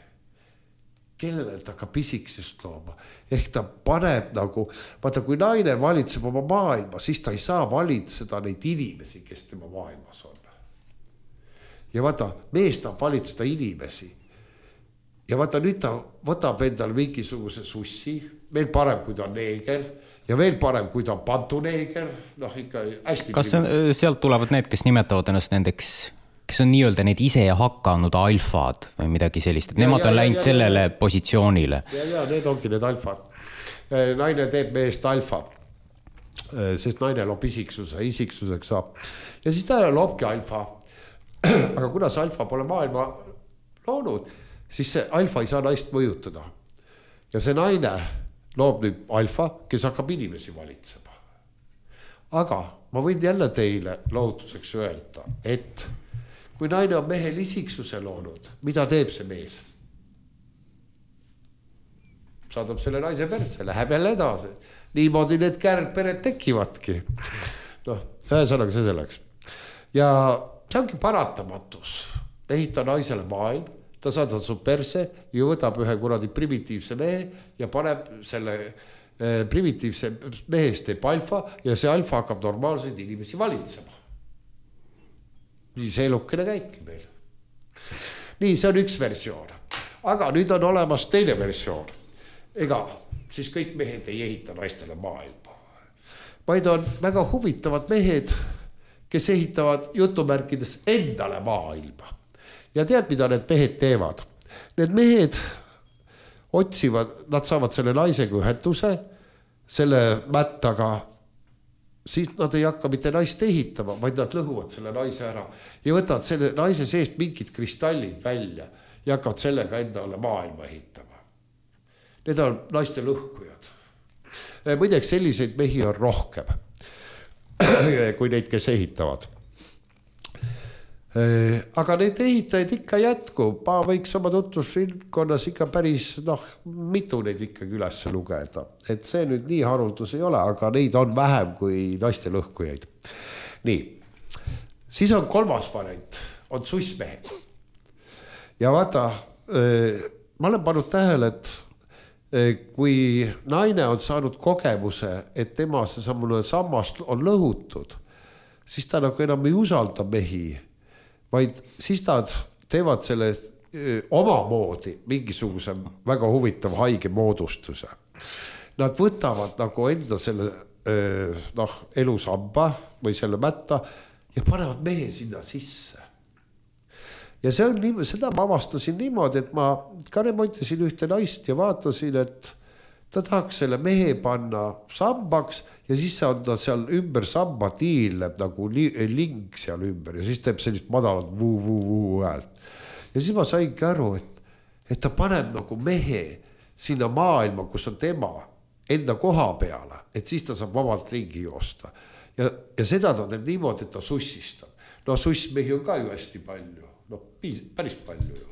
kellele ta hakkab isiksust looma. Ehk ta paneb nagu, vaata, kui naine valitseb oma maailma, siis ta ei saa valitseda neid inimesi, kes tema maailmas on. Ja vaata, mees tahab valitseda inimesi. Ja vaata, nüüd ta võtab endal mingisuguse sussi, veel parem, kui ta on neeger, ja veel parem, kui ta on pantuneeger. No, ikka hästi. Kas sealt tulevad need, kes nimetavad ennast nendeks, kes on nii-öelda need ise hakanud alfad või midagi sellist, et ja, nemad ja, on ja, läinud ja, sellele ja, positsioonile. Ja, ja, need ongi need alfad. Naine teeb meest alfa. sest naine loob isiksuse, isiksuseks saab. Ja siis ta loobki alfa. Aga kuna see alfa pole maailma loonud, siis see alfa ei saa naist mõjutada. Ja see naine loob nüüd alfa, kes hakkab inimesi valitsema. Aga ma võin jälle teile lohutuseks öelda, et kui naine on mehel isiksuse loonud, mida teeb see mees? Saadab selle naise persse, läheb jälle edasi. Niimoodi need kärgpered tekivadki. Noh, ühesõnaga see selleks. Ja see ongi paratamatus. Ehita naisele maailm, ta saadab su perse ja võtab ühe kuradi primitiivse mehe ja paneb selle eh, primitiivse mehest teeb alfa ja see alfa hakkab normaalseid inimesi valitsema. Nii see elukene käibki meil. Nii, see on üks versioon. Aga nüüd on olemas teine versioon. Ega siis kõik mehed ei ehita naistele maailma. Vaid on väga huvitavad mehed, kes ehitavad jutumärkides endale maailma. Ja tead, mida need mehed teevad? Need mehed otsivad, nad saavad selle naisega ühenduse, selle mättaga, siis nad ei hakka mitte naist ehitama, vaid nad lõhuvad selle naise ära ja võtavad selle naise seest mingid kristallid välja ja hakkavad sellega endale maailma ehitama. Need on naiste lõhkujad. Muideks selliseid mehi on rohkem, kui neid, kes ehitavad. Aga neid ehitajaid ikka jätkub. Ma võiks oma tutvusrinkonnas ikka päris noh, mitu neid ikkagi üles lugeda. Et see nüüd nii haruldus ei ole, aga neid on vähem kui naiste lõhkujaid. Nii, siis on kolmas variant, on sussmehed. Ja vaata, ma olen pannud tähele, et kui naine on saanud kogemuse, et tema see sammune sammast on lõhutud, siis ta nagu enam ei usalda mehi, vaid siis nad teevad selle omamoodi mingisuguse väga huvitav haige moodustuse. Nad võtavad nagu enda selle noh, elusamba või selle mätta ja panevad mehe sinna sisse. Ja see on nii, seda ma avastasin niimoodi, et ma ka remontisin ühte naist ja vaatasin, et ta tahaks selle mehe panna sambaks ja siis on ta seal ümber samba tiileb nagu ling seal ümber ja siis teeb sellist madalat vuu-vuu-vuu häält. Ja siis ma saingi aru, et, et ta paneb nagu mehe sinna maailma, kus on tema enda koha peale, et siis ta saab vabalt ringi joosta. Ja, ja seda ta teeb niimoodi, et ta sussistab. No sussmehi on ka ju hästi palju. No, päris palju ju.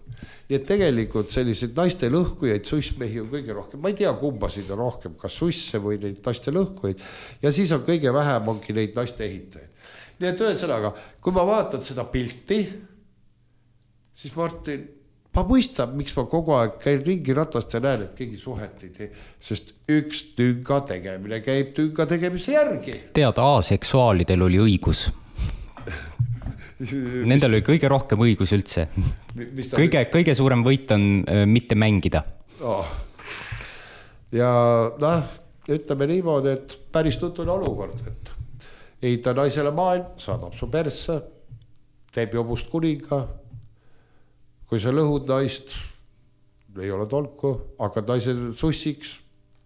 Nii et tegelikult sellised naiste lõhkujaid, sussmehi on kõige rohkem. Ma ei tea, kumbasid on rohkem, kas susse või neid naiste lõhkujaid. Ja siis on kõige vähem ongi neid naiste ehitajaid. Nii et ühesõnaga, kui ma vaatan seda pilti, siis Martin, ma mõistan, miks ma kogu aeg käin ringi ratast ja näen, et keegi suhet ei tee. Sest üks tünga tegemine käib tünga tegemise järgi. Tead, aseksuaalidel oli õigus. Nendel oli kõige rohkem õigus üldse. Kõige, kõige suurem võit on äh, mitte mängida. Oh. Ja noh, ütleme niimoodi, et päris tutune olukord, et ehita naisele maailm, saadab su persse, teeb jobust kuninga. Kui sa lõhud naist, ei ole tolku, hakkad naise sussiks,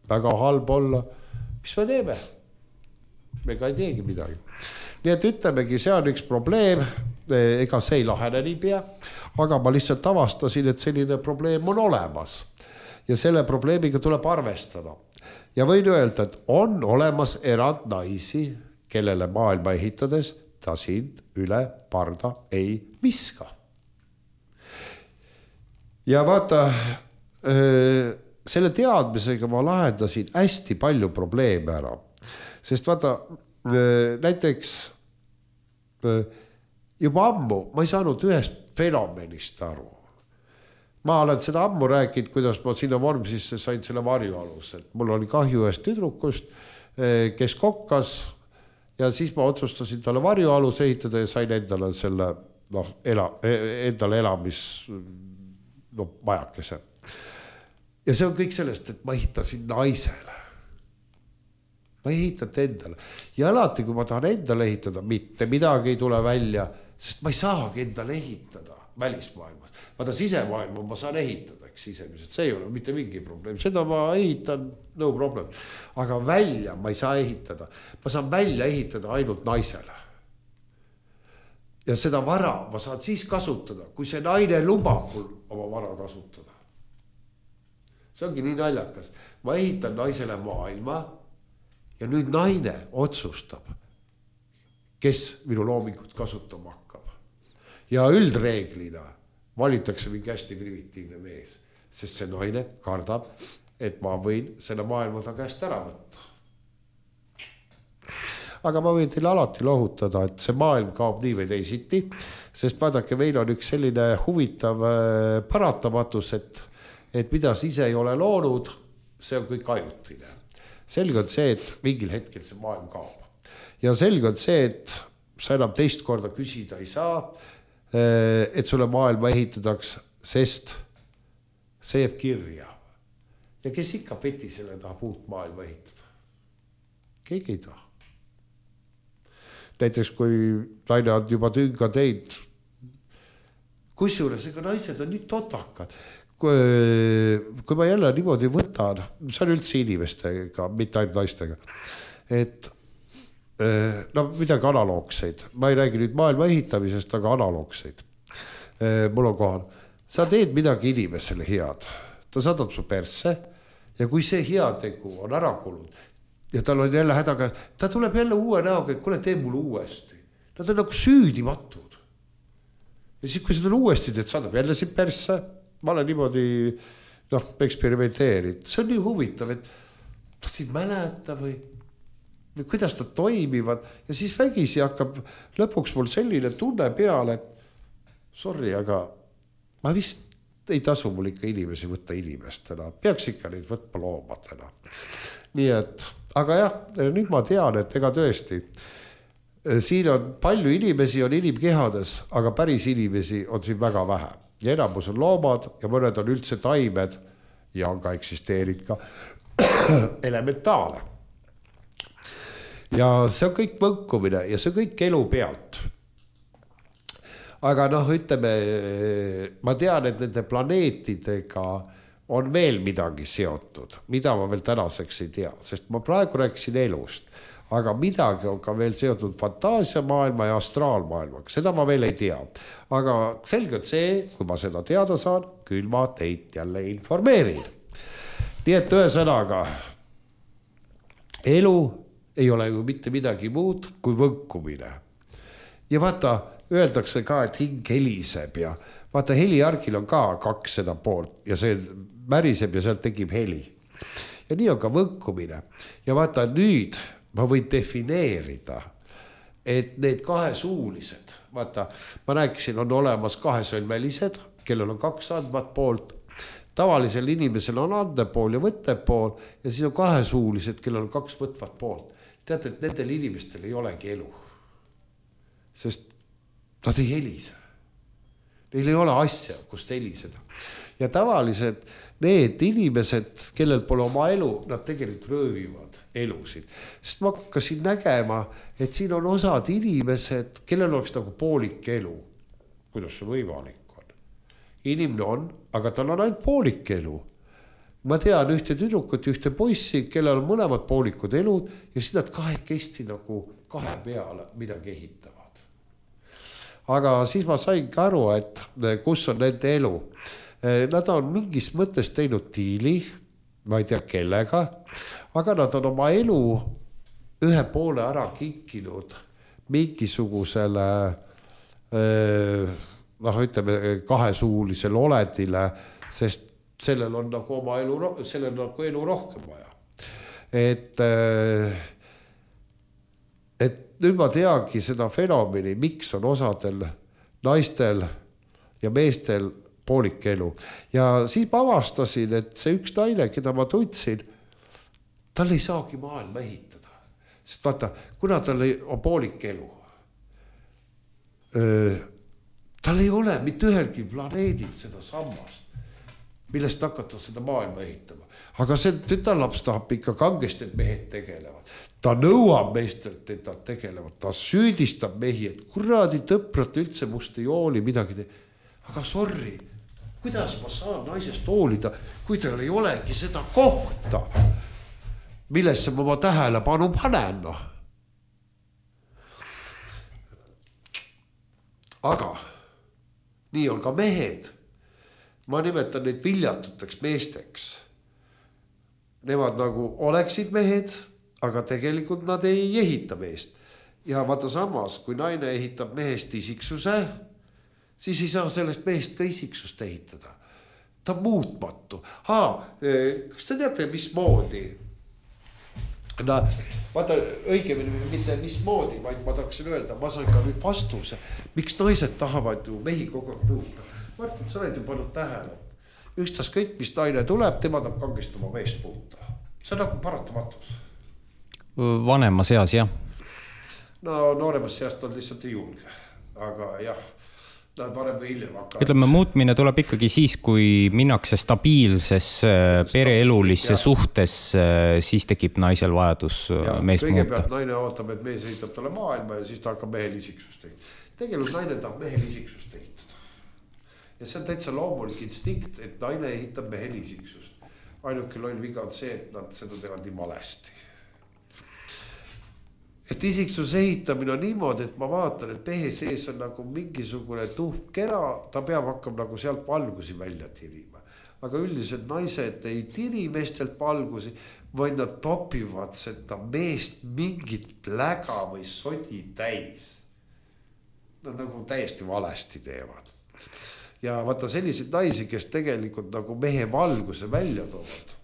väga halb olla. Mis me teeme? Me ka ei teegi midagi. Nii et ütlemegi, see on üks probleem, ega see ei lahene nii pea, aga ma lihtsalt avastasin, et selline probleem on olemas ja selle probleemiga tuleb arvestada. Ja võin öelda, et on olemas erand naisi, kellele maailma ehitades ta sind üle parda ei viska. Ja vaata, selle teadmisega ma lahendasin hästi palju probleeme ära, sest vaata, näiteks juba ammu ma ei saanud ühest fenomenist aru. Ma olen seda ammu rääkinud, kuidas ma sinna Vormsisse sain selle varjualus, et mul oli kahju ühest tüdrukust, kes kokkas ja siis ma otsustasin talle varjualus ehitada ja sain endale selle noh, ela, endale elamis no, majakese. Ja see on kõik sellest, et ma ehitasin naisele. Ma ei ehitanud endale. Ja alati, kui ma tahan endale ehitada, mitte midagi ei tule välja, sest ma ei saagi endale ehitada välismaailmas. Vaata sisemaailma ma saan ehitada. oleks sisemiselt, see ei ole mitte mingi probleem, seda ma ehitan, no problem. Aga välja ma ei saa ehitada, ma saan välja ehitada ainult naisele. Ja seda vara ma saan siis kasutada, kui see naine lubab mul oma vara kasutada. See ongi nii naljakas. Ma ehitan naisele maailma ja nüüd naine otsustab, kes minu loomingut kasutama hakkab. Ja üldreeglina valitakse mingi hästi primitiivne mees, sest see naine kardab, et ma võin selle maailma ta käest ära võtta. Aga ma võin teile alati lohutada, et see maailm kaob nii või teisiti, sest vaadake, meil on üks selline huvitav paratamatus, et, et mida sa ise ei ole loonud, see on kõik ajutine. Selge on see, et mingil hetkel see maailm kaob. Ja selge on see, et sa enam teist korda küsida ei saa, et sulle maailma ehitadaks, sest see jääb kirja. Ja kes ikka peti selle tahab uut maailma ehitada? Keegi ei taha. Näiteks kui naine on juba tünga teid, kusjuures ega naised on nii totakad. Kui, kui ma jälle niimoodi võtan, see on üldse inimestega, mitte ainult naistega, et no midagi analoogseid. Ma ei räägi nüüd maailma ehitamisest, aga analoogseid. Mul on kohal. Sa teed midagi inimesele head. Ta saadab su persse ja kui see heategu on ära kulunud ja tal on jälle hädaga, ta tuleb jälle uue näoga, et kuule, tee mul uuesti. Nad on nagu süüdimatud. Ja siis, kui seda uuesti teed, saadab jälle siin persse, ma olen niimoodi noh, eksperimenteerid. See on nii huvitav, et ta ei mäleta või kuidas ta toimivad ja siis vägisi hakkab lõpuks mul selline tunne peale, et sorry, aga ma vist ei tasu mul ikka inimesi võtta inimestena, peaks ikka neid võtma loomadena. Nii et, aga jah, nüüd ma tean, et ega tõesti, siin on palju inimesi, on inimkehades, aga päris inimesi on siin väga vähe. Ja enamus on loomad ja mõned on üldse taimed ja on ka eksisteerid ka elementaale. Ja see on kõik võnkumine ja see on kõik elu pealt. Aga noh, ütleme, ma tean, et nende planeetidega on veel midagi seotud, mida ma veel tänaseks ei tea, sest ma praegu rääkisin elust, aga midagi on ka veel seotud fantaasiamaailma ja astraalmaailmaga, seda ma veel ei tea. Aga selgelt see, kui ma seda teada saan, küll ma teid jälle informeerin. Nii et ühesõnaga, elu ei ole ju mitte midagi muud kui võnkumine. Ja vaata, öeldakse ka, et hing heliseb ja vaata, heliargil on ka kaks seda poolt ja see märiseb ja sealt tekib heli. Ja nii on ka võnkumine. Ja vaata, nüüd ma võin defineerida, et need kahesuulised, vaata, ma rääkisin, on olemas kahesõlmelised, kellel on kaks andvat poolt, tavalisel inimesel on andepool ja võttepool ja siis on kahesuulised, kellel on kaks võtvat poolt. Teate, et nendel inimestel ei olegi elu, sest nad ei helise. Neil ei ole asja, kust heliseda. Ja tavaliselt need inimesed, kellel pole oma elu, nad tegelikult röövivad elusid. Sest ma hakkasin nägema, et siin on osad inimesed, kellel oleks nagu poolik elu. Kuidas see võimalik on? Inimene on, aga tal on ainult poolik elu. Ma tean ühte tüdrukut, ühte poissi, kellel on mõlemad poolikud elud ja siis nad kahekesti nagu kahe peale midagi ehitavad. Aga siis ma sain ka aru, et kus on nende elu. Nad on mingis mõttes teinud diili, ma ei tea kellega, aga nad on oma elu ühe poole ära kinkinud mingisugusele noh, ütleme, kahesuulisele oledile, sest sellel on nagu oma elu, sellel on nagu elu rohkem vaja. Et, et nüüd ma teagi seda fenomeni, miks on osadel naistel ja meestel poolik elu. Ja siis ma avastasin, et see üks naine, keda ma tundsin, tal ei saagi maailma ehitada. Sest vaata, kuna tal on poolik elu, tal ei ole mitte ühelgi planeedil seda sammast, millest hakata seda maailma ehitama. Aga see tütarlaps tahab ikka kangesti, et mehed tegelevad. Ta nõuab meestelt, et nad tegelevad. Ta süüdistab mehi, et kuradi tõprat üldse must ei hooli midagi. Aga sorry, kuidas ma saan naisest hoolida, kui tal ei olegi seda kohta, millesse ma oma tähelepanu panen. No. Aga nii on ka mehed. Ma nimetan neid viljatuteks meesteks. Nemad nagu oleksid mehed, aga tegelikult nad ei ehita meest. Ja vaata samas, kui naine ehitab mehest isiksuse, siis ei saa sellest mehest ka isiksust ehitada. Ta on muutmatu. Haa, kas te teate, mis moodi? No, vaata õigemini mitte mis moodi, vaid ma tahaksin öelda, ma saan ka nüüd vastuse, miks naised tahavad ju mehi kogu aeg muuta. Martin, sa oled ju pannud tähele. Ükstas kõik, mis naine tuleb, tema tahab kangesti oma meest muuta. See on nagu paratamatus. Vanemas seas, jah. No nooremas seast on lihtsalt ei julge. Aga jah, nad varem või hiljem hakkavad. Ütleme, muutmine tuleb ikkagi siis, kui minnakse stabiilses pereelulisse suhtes, siis tekib naisel vajadus ja, mees muuta. Kõigepealt naine ootab, et mees ehitab talle maailma ja siis ta hakkab mehel isiksust ehitada. Tegelikult naine tahab mehel isiksust ehitada. Ja see on täitsa loomulik instinkt, et naine ehitab mehel isiksust. Ainuke loll viga on see, et nad seda teevad nii valesti. Et isiksus ehitamine on niimoodi, et ma vaatan, et mehe sees on nagu mingisugune tuhk kera, ta peab hakkama nagu sealt valgusi välja tirima. Aga üldiselt naised ei tiri meestelt valgusi, vaid nad topivad seda meest mingit pläga või sodi täis. Nad nagu täiesti valesti teevad. Ja vaata selliseid naisi, kes tegelikult nagu mehe valguse välja toovad.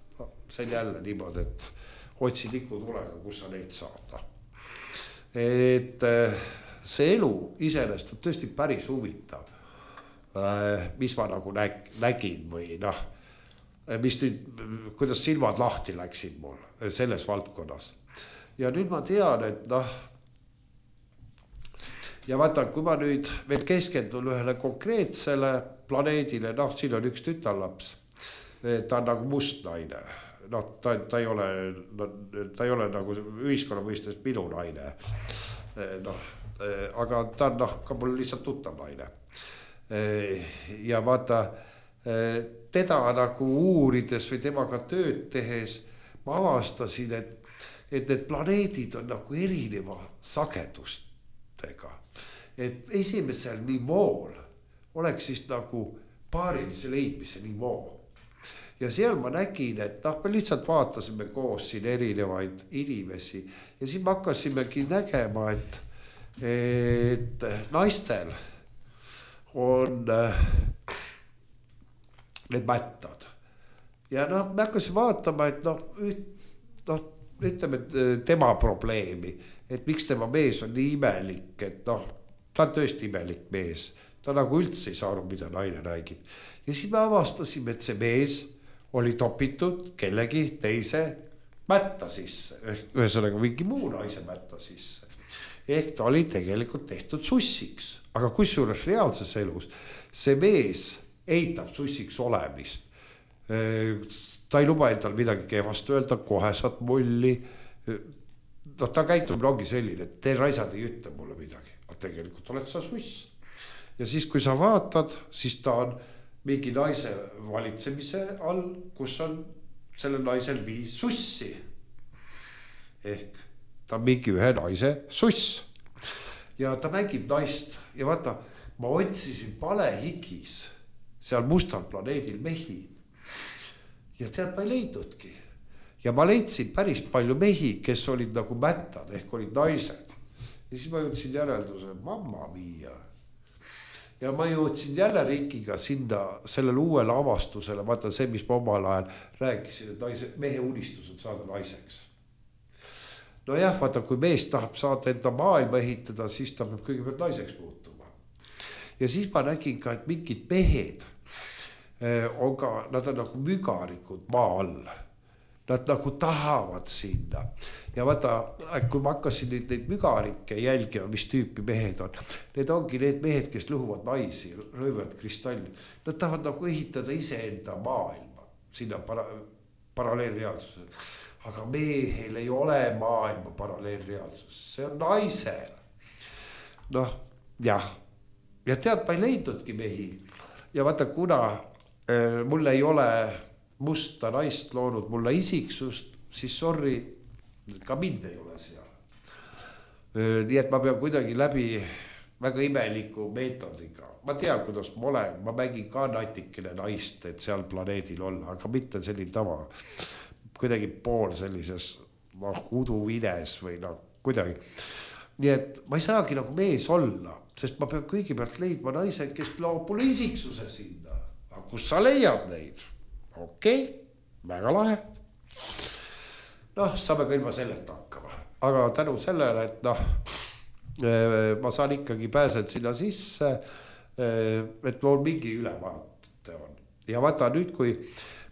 See on jälle niimoodi, et otsi tiku tulega, kus sa neid saada. Et see elu iseenesest on tõesti päris huvitav. Mis ma nagu nägin või noh, mis nüüd, kuidas silmad lahti läksid mul selles valdkonnas. Ja nüüd ma tean, et noh, ja vaata, kui ma nüüd veel keskendun ühele konkreetsele planeedile, noh, siin on üks tütarlaps, ta on nagu must naine, noh, ta, ta, ei ole, ta ei ole nagu ühiskonna mõistes minu naine, noh, aga ta on noh, ka mul lihtsalt tuttav naine. Ja vaata, teda nagu uurides või temaga tööd tehes, ma avastasin, et, et need planeedid on nagu erineva sagedustega. Et esimesel nivool oleks siis nagu paarilise leidmise nivoo. Ja seal ma nägin, et noh, me lihtsalt vaatasime koos siin erinevaid inimesi ja siis me hakkasimegi nägema, et, et naistel on need mättad. Ja noh, me hakkasin vaatama, et noh, noh, ütleme tema probleemi, et miks tema mees on nii imelik, et noh, ta on tõesti imelik mees. Ta nagu üldse ei saanud, mida naine räägib. Ja siis me avastasime, et see mees oli topitud kellegi teise mätta sisse. Ühesõnaga mingi muu naise mätta sisse. Ehk ta oli tegelikult tehtud sussiks. Aga kusjuures reaalses elus see mees eitab sussiks olemist. Ta ei luba endal midagi kehvast öelda, kohe saad mulli. No ta käitumine ongi selline, et te raisad ei ütle mulle midagi. Aga tegelikult oled sa suss. Ja siis, kui sa vaatad, siis ta on mingi naise valitsemise all, kus on sellel naisel viis sussi. Ehk ta on mingi ühe naise suss. Ja ta mängib naist. Ja vaata, ma otsisin palehigis seal mustal planeedil mehi. Ja tead, ma ei leidnudki. Ja ma leidsin päris palju mehi, kes olid nagu mättad, ehk olid naised. Ja siis ma jõudsin järelduse, mamma mia. Ja ma jõudsin jälle Rikiga sinna sellele uuele avastusele, vaata see, mis ma omal ajal rääkisin, et naise, mehe unistus on saada naiseks. No jah, vaata, kui mees tahab saada enda maailma ehitada, siis ta peab kõigepealt naiseks muutuma. Ja siis ma nägin ka, et mingid mehed on ka, nad on nagu mügarikud maa all. Nad nagu tahavad sinna. Ja vaata, kui ma hakkasin neid, neid mügarikke jälgima, mis tüüpi mehed on, need ongi need mehed, kes lõhuvad naisi, röövad kristalli. Nad tahavad nagu ehitada ise enda maailma sinna para, paralleelreaalsusele. Aga mehel ei ole maailma paralleelreaalsus. See on naisel. Noh, jah. Ja tead, ma ei leidnudki mehi. Ja vaata, kuna mul ei ole musta naist loonud mulle isiksust, siis sorry, ka mind ei ole seal. Nii et ma pean kuidagi läbi väga imeliku meetodiga. Ma tean, kuidas ma olen, ma mängin ka natikene naist, et seal planeedil olla, aga mitte selline tava. Kuidagi pool sellises noh, uduvines või noh, kuidagi. Nii et ma ei saagi nagu mees olla, sest ma pean kõigepealt leidma naise, kes loob mulle isiksuse sinna. Aga kus sa leiad neid? Okei, okay, väga lahe. Noh, saame ka ilma sellelt hakkama. Aga tänu sellele, et noh, ma saan ikkagi pääsed sinna sisse, et mul mingi ülevaate on. Ja vaata nüüd, kui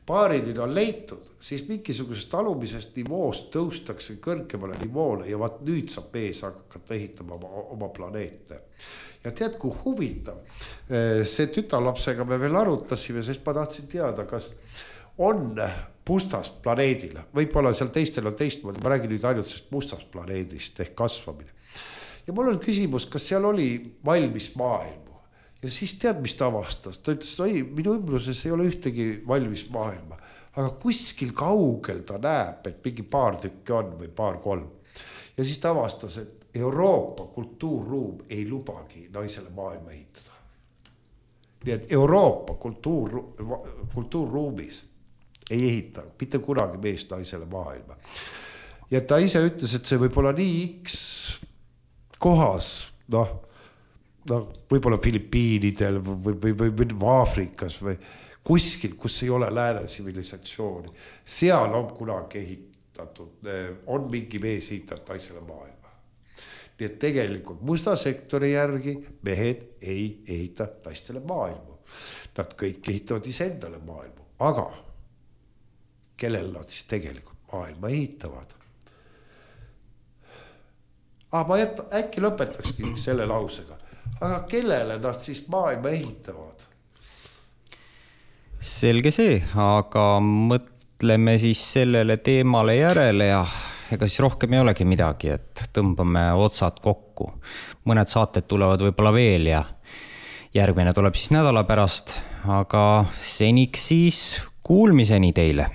paaridid on leitud, siis mingisugusest alumisest nivoost tõustakse kõrgemale nivoole ja vaat nüüd saab mees hakata ehitama oma, oma planeete. Ja tead, kui huvitav, see tütarlapsega me veel arutasime, sest ma tahtsin teada, kas on mustast planeedil, võib-olla seal teistel on teistmoodi, ma räägin nüüd ainult sest mustast planeedist ehk kasvamine. Ja mul on küsimus, kas seal oli valmis maailmu ja siis tead, mis ta avastas, ta ütles, oi, minu ümbruses ei ole ühtegi valmis maailma, aga kuskil kaugel ta näeb, et mingi paar tükki on või paar kolm ja siis ta avastas, et Euroopa kultuurruum ei lubagi naisele maailma ehitada. Nii et Euroopa kultuur, kultuurruumis ei ehita mitte kunagi meest naisele maailma. Ja ta ise ütles, et see võib olla nii X kohas, noh, noh võib-olla Filipiinidel või, või, või, või Aafrikas või kuskil, kus ei ole lääne tsivilisatsiooni. Seal on kunagi ehitatud, on mingi mees ehitatud naisele maailma. Nii et tegelikult musta sektori järgi mehed ei ehita naistele maailma. Nad kõik ehitavad iseendale maailma, aga kellel nad siis tegelikult maailma ehitavad? Ah, ma jätta, äkki lõpetakski selle lausega. Aga kellele nad siis maailma ehitavad? Selge see, aga mõtleme siis sellele teemale järele ja ega siis rohkem ei olegi midagi, et tõmbame otsad kokku. Mõned saated tulevad võib-olla veel ja järgmine tuleb siis nädala pärast, aga seniks siis kuulmiseni teile.